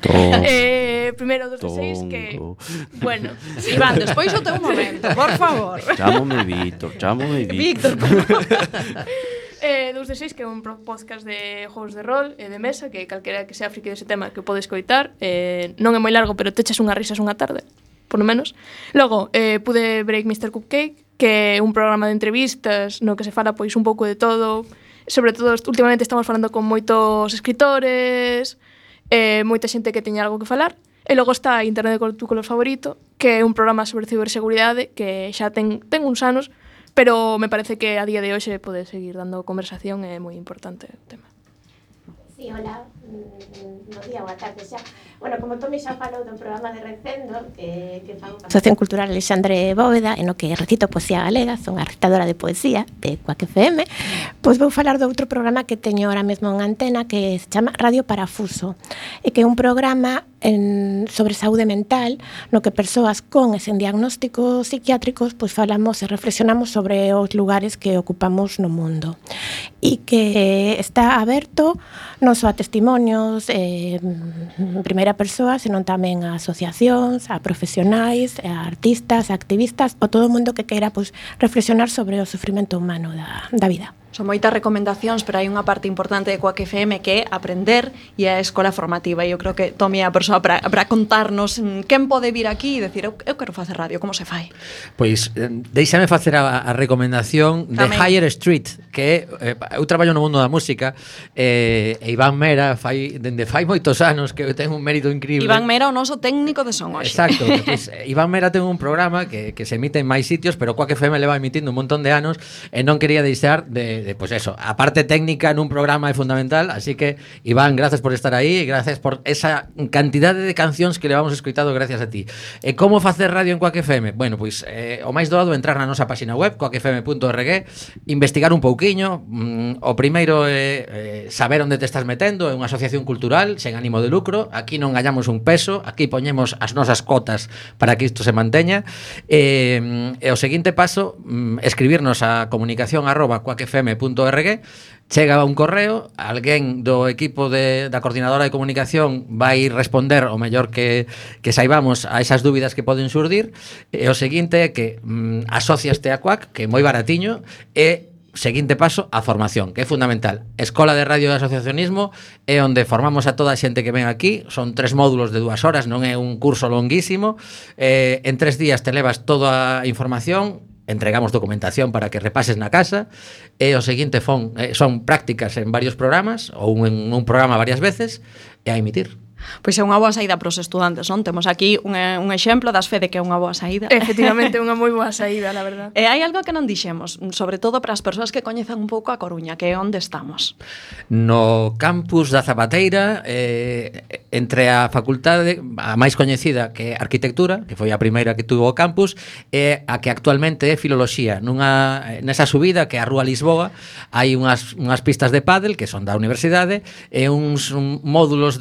Primeiro, 2 de 6, que... Bueno, Iván, despois o teu momento, por favor. Chámome Víctor. Víctor, 2 de 6, que é un podcast de jogos de rol e de mesa, que calquera que sea friki dese tema que podes coitar. Non é moi largo, pero te echas unhas risas unha tarde, por lo menos. Logo, pude break Mr. Cupcake, que é un programa de entrevistas no que se fala pois un pouco de todo. Sobre todo, últimamente estamos falando con moitos escritores, moita xente que teña algo que falar. E logo está Internet con tu color favorito, que é un programa sobre ciberseguridade que xa ten uns anos, pero me parece que a día de hoxe pode seguir dando conversación, é moi importante o tema. Sí, hola, no día ou a tarde xa. Bueno, como Tomi xa falou do programa de Recendo, que fago a Asociación Cultural Alexandre Bóveda, en o que recito poesía galega, son a recitadora de poesía de Quack FM, Pois vou falar de outro programa que teño ahora mesmo en antena que se chama Radio Parafuso e que é un programa sobre saúde mental no que persoas con e sen diagnósticos psiquiátricos pois falamos e reflexionamos sobre os lugares que ocupamos no mundo e que está aberto non só a testimonios en primeira persoa, senón tamén a asociacións, a profesionais, a artistas, a activistas ou todo o mundo que queira pois reflexionar sobre o sufrimento humano da vida. Son moitas recomendacións, pero hai unha parte importante de Quack FM que é aprender e a escola formativa. E eu creo que Tomi é a persoa para contarnos quen pode vir aquí e decir eu quero facer radio, como se fai? Pois deixame facer a recomendación de Higher Street, que eu traballo no mundo da música e Iván Mera dende fai moitos anos que ten un mérito increíble. Iván Mera, o noso técnico de son hoxe. Exacto, pois, Iván Mera ten un programa que se emite en máis sitios, pero Quack FM leva emitindo un montón de anos e non quería deixar de pues eso, a parte técnica nun programa é fundamental, así que Iván, gracias por estar aí e gracias por esa cantidade de cancións que levamos escoitado gracias a ti. E como facer radio en Quack FM? Bueno, pois o máis doado é entrar na nosa página web quackfm.org, investigar un pouquiño, o primeiro é saber onde te estás metendo, é unha asociación cultural sen ánimo de lucro, aquí non gañamos un peso, aquí poñemos as nosas cotas para que isto se manteña, e o seguinte paso, escribirnos a comunicación@quackfm.org, chega un correo, alguén do equipo da coordinadora de comunicación vai responder o mellor que saibamos a esas dúbidas que poden surdir, e o seguinte é que asociaste a Quack, que é moi baratiño, e seguinte paso, a formación, que é fundamental. Escola de Radio de Asociacionismo é onde formamos a toda a xente que ven aquí, son 3 módulos de 2 horas, non é un curso longuísimo, en 3 días te levas toda a información, entregamos documentación para que repases na casa, e o seguinte son prácticas en varios programas ou en un programa varias veces e a emitir. Pois é unha boa saída para os estudantes, non? Temos aquí un exemplo das fe de que é unha boa saída. Efectivamente, unha moi boa saída, la verdad. E hai algo que non dixemos, sobre todo para as persoas que coñezan un pouco a Coruña, que é onde estamos. No campus da Zapateira, entre a facultade a máis coñecida, que é Arquitectura, que foi a primeira que tuvo o campus, e a que actualmente é Filoloxía. Nesa subida, que é a Rúa Lisboa, hai unhas pistas de pádel, que son da universidade, e uns módulos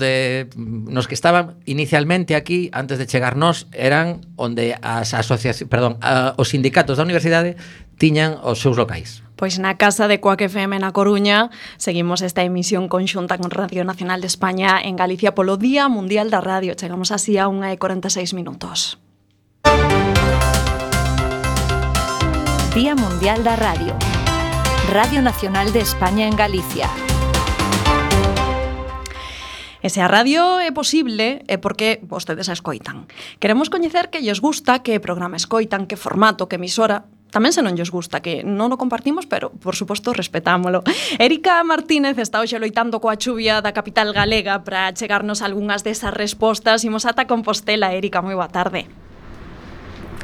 nos que estaban inicialmente aquí, antes de chegarnos, eran onde os sindicatos da universidade tiñan os seus locais. Pois na casa de Quack FM na Coruña seguimos esta emisión conxunta con Radio Nacional de España en Galicia polo Día Mundial da Radio. Chegamos así a 1:46 minutos. Día Mundial da Radio. Radio Nacional de España en Galicia. E se a radio é posible é porque vostedes a escoitan. Queremos coñecer que lles gusta, que programa escoitan, que formato, que emisora. Tamén se non lles gusta, que non o compartimos, pero, por suposto, respetámolo. Erika Martínez está hoxe loitando coa chuvia da capital galega para chegarnos algunhas desas respostas. Imos ata Compostela. Erika, moi boa tarde.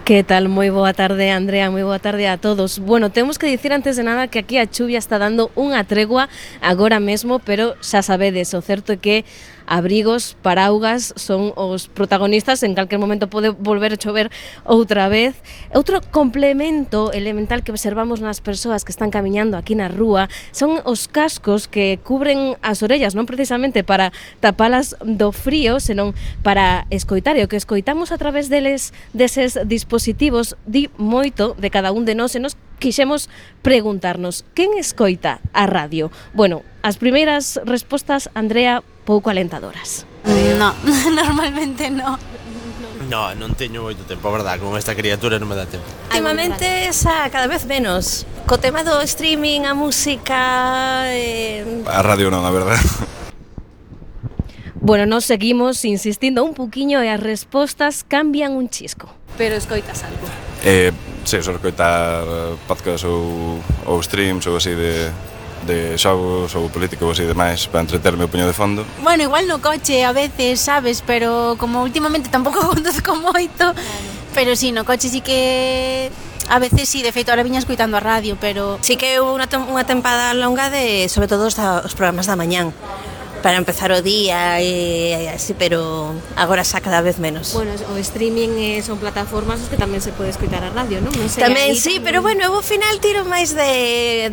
Que tal? Moi boa tarde, Andrea, moi boa tarde a todos. Bueno, temos que dicir antes de nada que aquí a chuvia está dando unha tregua agora mesmo, pero xa sabedes, o certo é que abrigos, paraugas son os protagonistas, en calquer momento pode volver a chover outra vez. Outro complemento elemental que observamos nas persoas que están camiñando aquí na rúa son os cascos que cubren as orellas, non precisamente para tapalas do frío, senón para escoitar, e o que escoitamos a través deses dispositivos di moito de cada un de nós, e nos quixemos preguntarnos, quen escoita a radio? Bueno, as primeiras respostas, Andrea, pouco alentadoras. No, normalmente no. No, non teño moito tempo, a verdad, con esta criatura non me dá tempo. Últimamente xa cada vez menos. Co tema do streaming, a música... A radio non, a verdad. Bueno, nos seguimos insistindo un poquinho e as respostas cambian un chisco. Pero escoitas algo? Sí, só escoitar podcast ou streams ou así de xogos ou políticos ou así demais para entreterme o puño de fondo. Bueno, igual no coche a veces, sabes, pero como últimamente tampouco conduzco moito, pero sí, no coche sí que a veces sí, de feito ahora viña escoitando a radio, pero sí que houve unha tempada longa de, sobre todo, os programas da mañán. para empezar o día e así, pero agora xa cada vez menos. Bueno, o streaming son plataformas que tamén se pode escoitar a radio, non? Non sei, tamén sí, pero bueno, eu ao final tiro máis de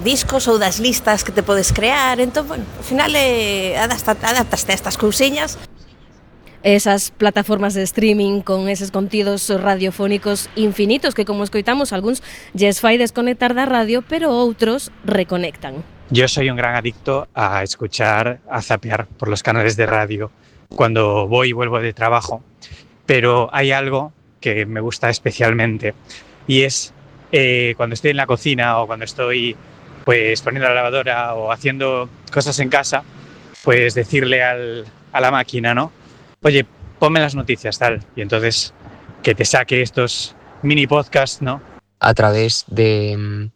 discos ou das listas que te podes crear, entón, bueno, ao final adaptaste a estas cousiñas. Esas plataformas de streaming con eses contidos radiofónicos infinitos que, como escoitamos, algúns lles fai desconectar da radio, pero outros reconectan. Yo soy un gran adicto a escuchar, a zapear por los canales de radio cuando voy y vuelvo de trabajo, pero hay algo que me gusta especialmente y es cuando estoy en la cocina o cuando estoy pues poniendo la lavadora o haciendo cosas en casa, pues decirle a la máquina, ¿no? Oye, ponme las noticias, tal, y entonces que te saque estos mini podcasts, ¿no? A través de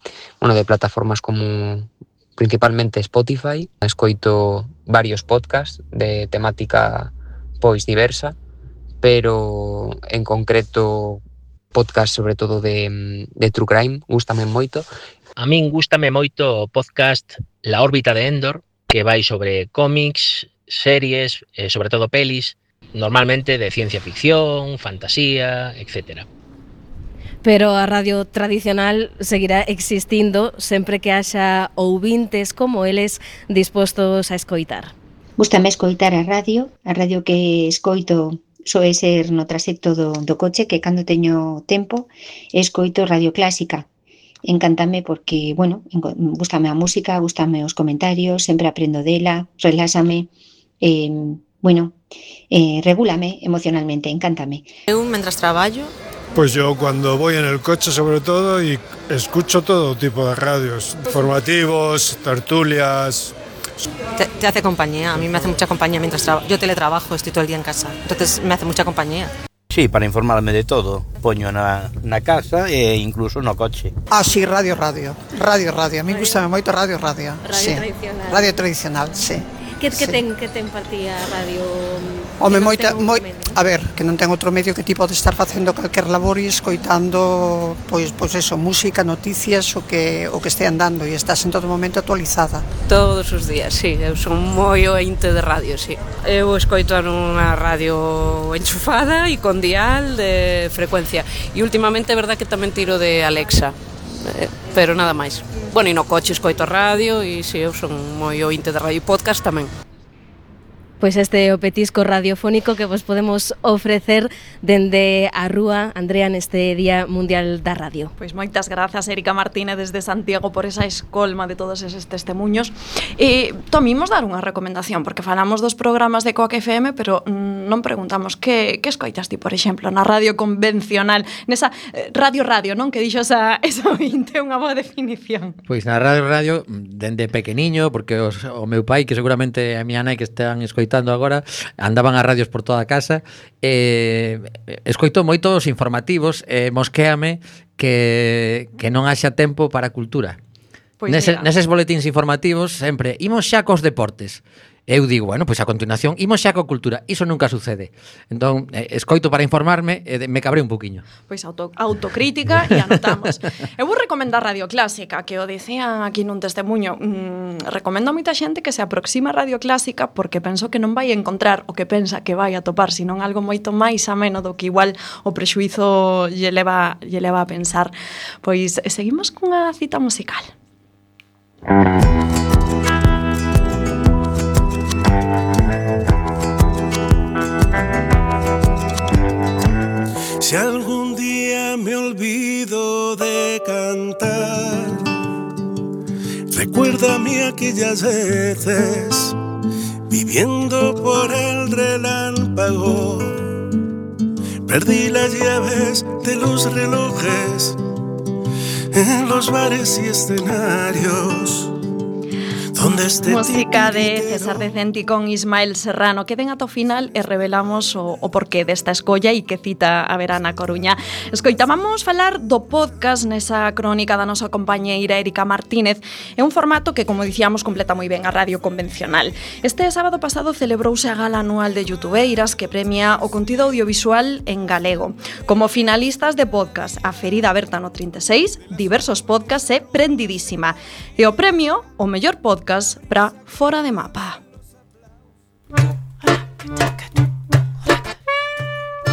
plataformas como principalmente Spotify, escoito varios podcasts de temática pois diversa, pero en concreto podcast sobre todo de True Crime, gústame moito. A min gústame moito o podcast La órbita de Endor, que vai sobre cómics, series, sobre todo pelis, normalmente de ciencia ficción, fantasía, etcétera. Pero a radio tradicional seguirá existindo sempre que haxa ouvintes como eles dispostos a escoitar. Gústame escoitar a radio que escoito soe ser no trasecto do coche, que cando teño tempo escoito radio clásica. Encántame porque, bueno, gústame a música, gústame os comentarios, sempre aprendo dela, relásame, regúlame emocionalmente, encántame. Eu, mentras traballo, pues yo cuando voy en el coche sobre todo y escucho todo tipo de radios, informativos, tertulias. Te hace compañía, a mí me hace mucha compañía mientras trabajo. Yo teletrabajo, estoy todo el día en casa, entonces me hace mucha compañía. Sí, para informarme de todo, poño na casa e incluso no coche. Ah, sí, radio. A mí gustame moito radio. Sí. Tradicional. Radio tradicional, sí. Que ten partía radio? Home, a ver, que non ten outro medio que ti podes estar facendo calquer labor e escoitando pois eso, música, noticias, o que este andando e estás en todo momento actualizada. Todos os días, sí, eu son moi ointe de radio, sí. Eu escoito nunha radio enchufada e con dial de frecuencia. E últimamente é verdad que tamén tiro de Alexa, pero nada máis. Bueno, e no coche escoito radio e si, eu son moi ointe de radio e podcast tamén. Pois este é o petisco radiofónico que vos podemos ofrecer dende a rúa, Andrea, neste Día Mundial da Radio. Pois moitas grazas, Erika Martínez, desde Santiago, por esa escolma de todos eses testemuños. Tomimos dar unha recomendación, porque falamos dos programas de Coac FM, pero non preguntamos que escoitas ti, por exemplo, na radio convencional, nesa radio, non? Que dixo esa ointe, unha boa definición. Pois na radio, dende pequeniño, porque o meu pai, que seguramente a miña nai que están escoitando agora, andaban as radios por toda a casa, escoito moitos informativos, mosquéame que non haxa tempo para a cultura. Pois neses boletíns informativos sempre imos xa cos deportes. Eu digo, bueno, pois a continuación imos xa coa cultura. Iso nunca sucede. Entón, escoito para informarme e me cabrei un poquinho. Pois autocrítica e anotamos. Eu vou recomendar Radio Clásica, que o dicían aquí nun testemuño. Recomendo a moita xente que se aproxima a Radio Clásica porque penso que non vai encontrar o que pensa que vai atopar, senón algo moito máis ameno do que igual o prexuízo lle leva a pensar. Pois seguimos cunha cita musical. Si algún día me olvido de cantar, recuérdame aquellas veces viviendo por el relámpago. Perdí las llaves de los relojes en los bares y escenarios. Música de César Decenti con Ismael Serrano. Queden ata o final e revelamos o porqué desta escolla e que cita a verá na Coruña. Escoitábamos falar do podcast nesa crónica da nosa compañeira Erika Martínez. É un formato que, como dicíamos, completa moi ben a radio convencional. Este sábado pasado celebrouse a gala anual de youtubeiras que premia o contido audiovisual en galego. Como finalistas de podcast, a ferida aberta no 36, diversos podcasts e Prendidísima. E o premio, o mellor podcast para Fora de Mapa.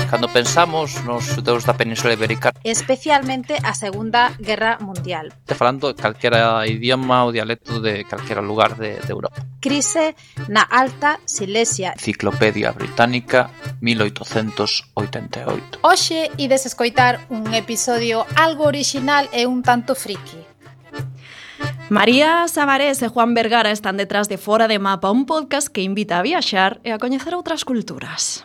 Cando pensamos nos xudeus da Península Ibérica, especialmente a Segunda Guerra Mundial. falando calquera idioma ou dialecto de calquera lugar de Europa. Crise na Alta Silesia. Enciclopedia Británica, 1888. Hoxe ides escoitar un episodio algo original e un tanto friki. María Sabarés e Juan Vergara están detrás de Fora de Mapa, un podcast que invita a viaxar e a coñecer outras culturas.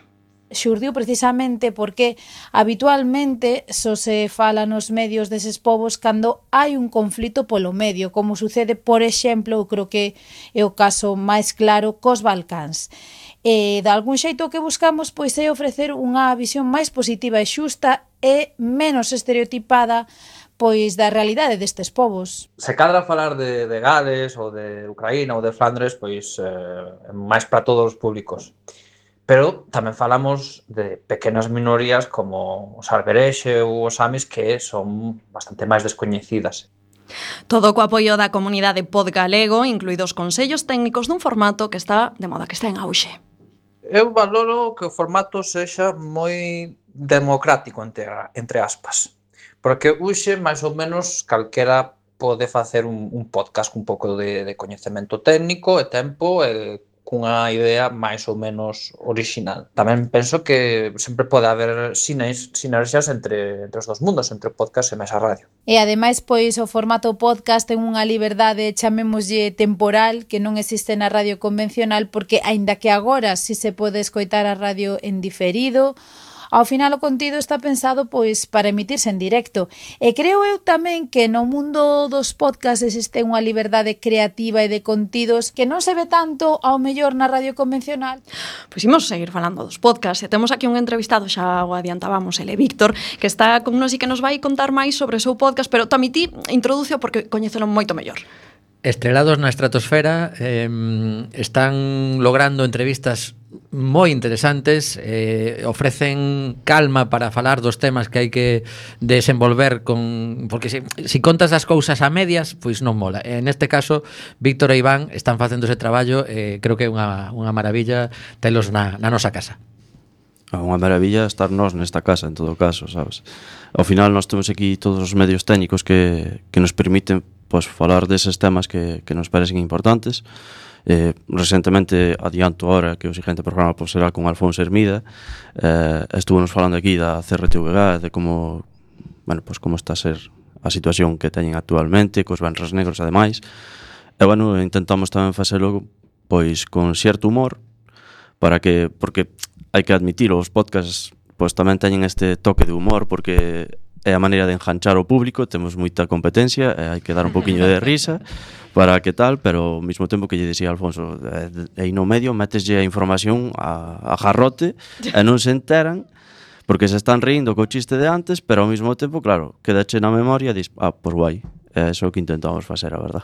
Xurdiu precisamente porque habitualmente só se fala nos medios deses povos cando hai un conflito polo medio, como sucede, por exemplo, eu creo que é o caso máis claro cos Balcáns. E de algún xeito o que buscamos pois é ofrecer unha visión máis positiva e xusta e menos estereotipada pois da realidade destes povos. Se cadra falar de Gales ou de Ucraína ou de Flandres, pois máis para todos os públicos. Pero tamén falamos de pequenas minorías como os Alberexe ou os Samis que son bastante máis descoñecidas. Todo co apoio da comunidade podgalego, incluídos consellos técnicos dun formato que está de moda, que está en auxe. Eu valoro que o formato sexa moi democrático, entre aspas, porque hoxe, máis ou menos, calquera pode facer un podcast con un pouco de coñecemento técnico e tempo e cunha idea máis ou menos original. Tamén penso que sempre pode haber sinerxias entre os dos mundos, entre o podcast e máis a radio. E ademais, pois, o formato podcast ten unha liberdade, chamémoslle temporal, que non existe na radio convencional, porque, aínda que agora si se pode escoitar a radio en diferido, ao final o contido está pensado pois para emitirse en directo. E creo eu tamén que no mundo dos podcasts existe unha liberdade creativa e de contidos que non se ve tanto ao mellor na radio convencional. Pois imos seguir falando dos podcasts e temos aquí un entrevistado, xa o adiantábamos, ele Víctor, que está con nos e que nos vai contar máis sobre o seu podcast, pero tamén ti introdúceo porque coñécelo moito mellor. Estrelados na estratosfera, están logrando entrevistas moi interesantes, ofrecen calma para falar dos temas que hai que desenvolver porque si contas as cousas a medias, pois non mola. En este caso, Víctor e Iván están facendo ese traballo, creo que é unha maravilla telos na nosa casa. Unha maravilla estar nós nesta casa, en todo caso, sabes? Ao final nós temos aquí todos os medios técnicos que nos permiten pois falar deses temas que nos parecen importantes. Recentemente, adianto ahora que o seguinte programa pois será con Alfonso Hermida. Estúvonos falando aquí da CRTVG, de como, bueno, pois como está a ser a situación que teñen actualmente, cos venres negros ademais. E, bueno, intentamos tamén facelo pois con certo humor, porque hai que admitir, os podcasts pois tamén teñen este toque de humor, porque é a maneira de enganchar o público, temos moita competencia e hai que dar un poquinho de risa para que tal, pero ao mesmo tempo que lle dicía Alfonso, aí no medio meteslle a información a jarrote e non se enteran porque se están rindo co chiste de antes, pero ao mesmo tempo, claro, quedache na memoria e dis, pois guai, é iso que intentamos facer, a verdad.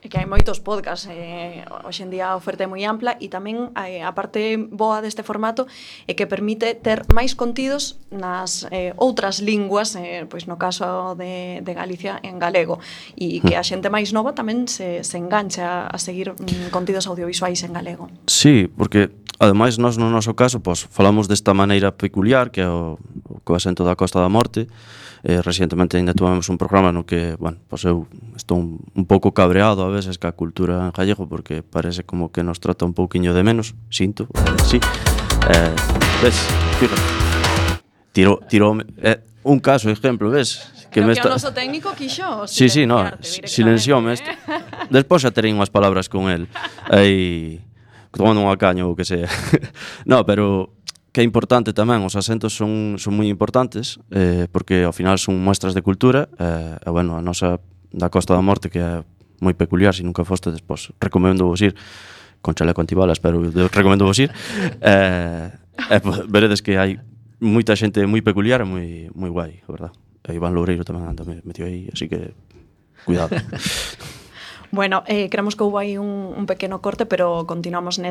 É que hai moitos podcasts, hoxe en día a oferta é moi ampla e tamén a parte boa deste formato é que permite ter máis contidos nas outras linguas, pois no caso de Galicia en galego, e que a xente máis nova tamén se engancha a seguir contidos audiovisuais en galego. Sí, porque ademais nós no noso caso pois falamos desta maneira peculiar que é o acento da Costa da Morte. Recientemente ainda tuvemos un programa no que, bueno, pois eu estou un pouco cabreado a veces ca cultura en gallego porque parece como que nos trata un pouquiño de menos, sinto, sí. Ves, fíjate, tirou un caso, exemplo, ves? Creo que o noso técnico quixo sí, no, silencioume isto. Despois xa terei unhas palabras con el aí tomando unha caña ou que sea. No, pero que é importante tamén, os acentos son moi importantes, porque ao final son muestras de cultura, e bueno, a nosa da Costa da Morte, que é moi peculiar, se nunca fostedes, pois recomendo vos ir, con chaleco antibalas, pero recomendo vos ir, veredes que hai moita xente moi peculiar e moi guai, a verdad. E Iván Loureiro tamén anda metido aí, así que cuidado. Bueno, creemos que houve aí un pequeno corte, pero continuamos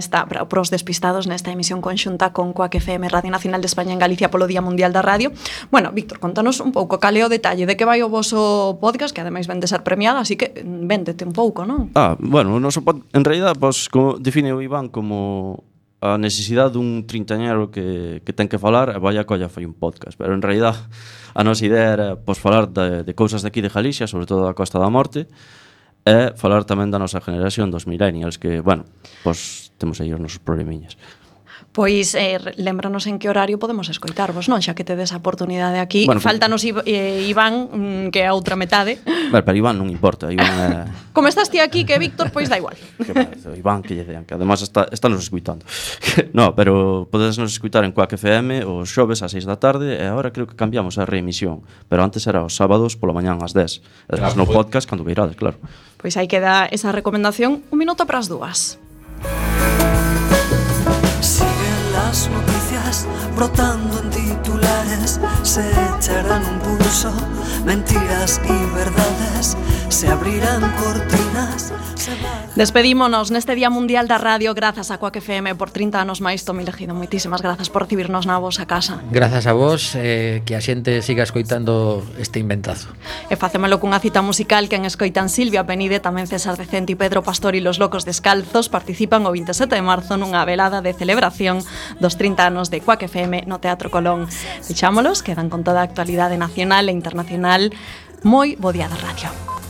pros despistados nesta emisión conxunta con Coac FM, Radio Nacional de España en Galicia polo Día Mundial da Radio. Bueno, Víctor, contanos un pouco cal é o detalle de que vai o voso podcast, que ademais ven de ser premiado, así que véndete un pouco, non? Bueno, o noso podcast, en realidad, pois, como define o Iván como a necesidade dun trintañero que ten que falar e vai a colla fai un podcast, pero en realidad a nosa idea era falar de cousas de aquí de Galicia, sobre todo da Costa da Morte, e falar tamén da nosa generación dos millennials, que, bueno, temos aí os nosos problemiñas. Pois lembranos en que horario podemos escoitarvos, non? Xa que tedes a oportunidade aquí. Bueno, Faltanos Iván, que é a outra metade. Pero Iván non importa, Iván Como estás ti aquí, que Víctor, pois da igual. Iván, que lle dean, que además está nos escuitando. No, pero podedes nos escuitar en Quack FM os xoves ás 6 da tarde e agora creo que cambiamos a reemisión, pero antes era os sábados pola mañán ás 10. Además no podcast cando virades, claro. Pois aí queda esa recomendación, 1 minuto para as 2. Las noticias brotando en titulares se echarán un pulso, mentiras y verdades, se abrirán cortinas. Despedímonos neste Día Mundial da Radio grazas a Quack FM por 30 anos máis. Tomi Legido, moitísimas grazas por recibirnos na vosa casa. Grazas a vos, que a xente siga escoitando este inventazo. E facémolo cunha cita musical que en escoitan Silvia Penide, tamén César Decente e Pedro Pastor e Los Locos Descalzos participan o 27 de marzo nunha velada de celebración dos 30 anos de Quack FM no Teatro Colón. Deixámolos, quedan con toda a actualidade nacional e internacional. Moi bo día da radio.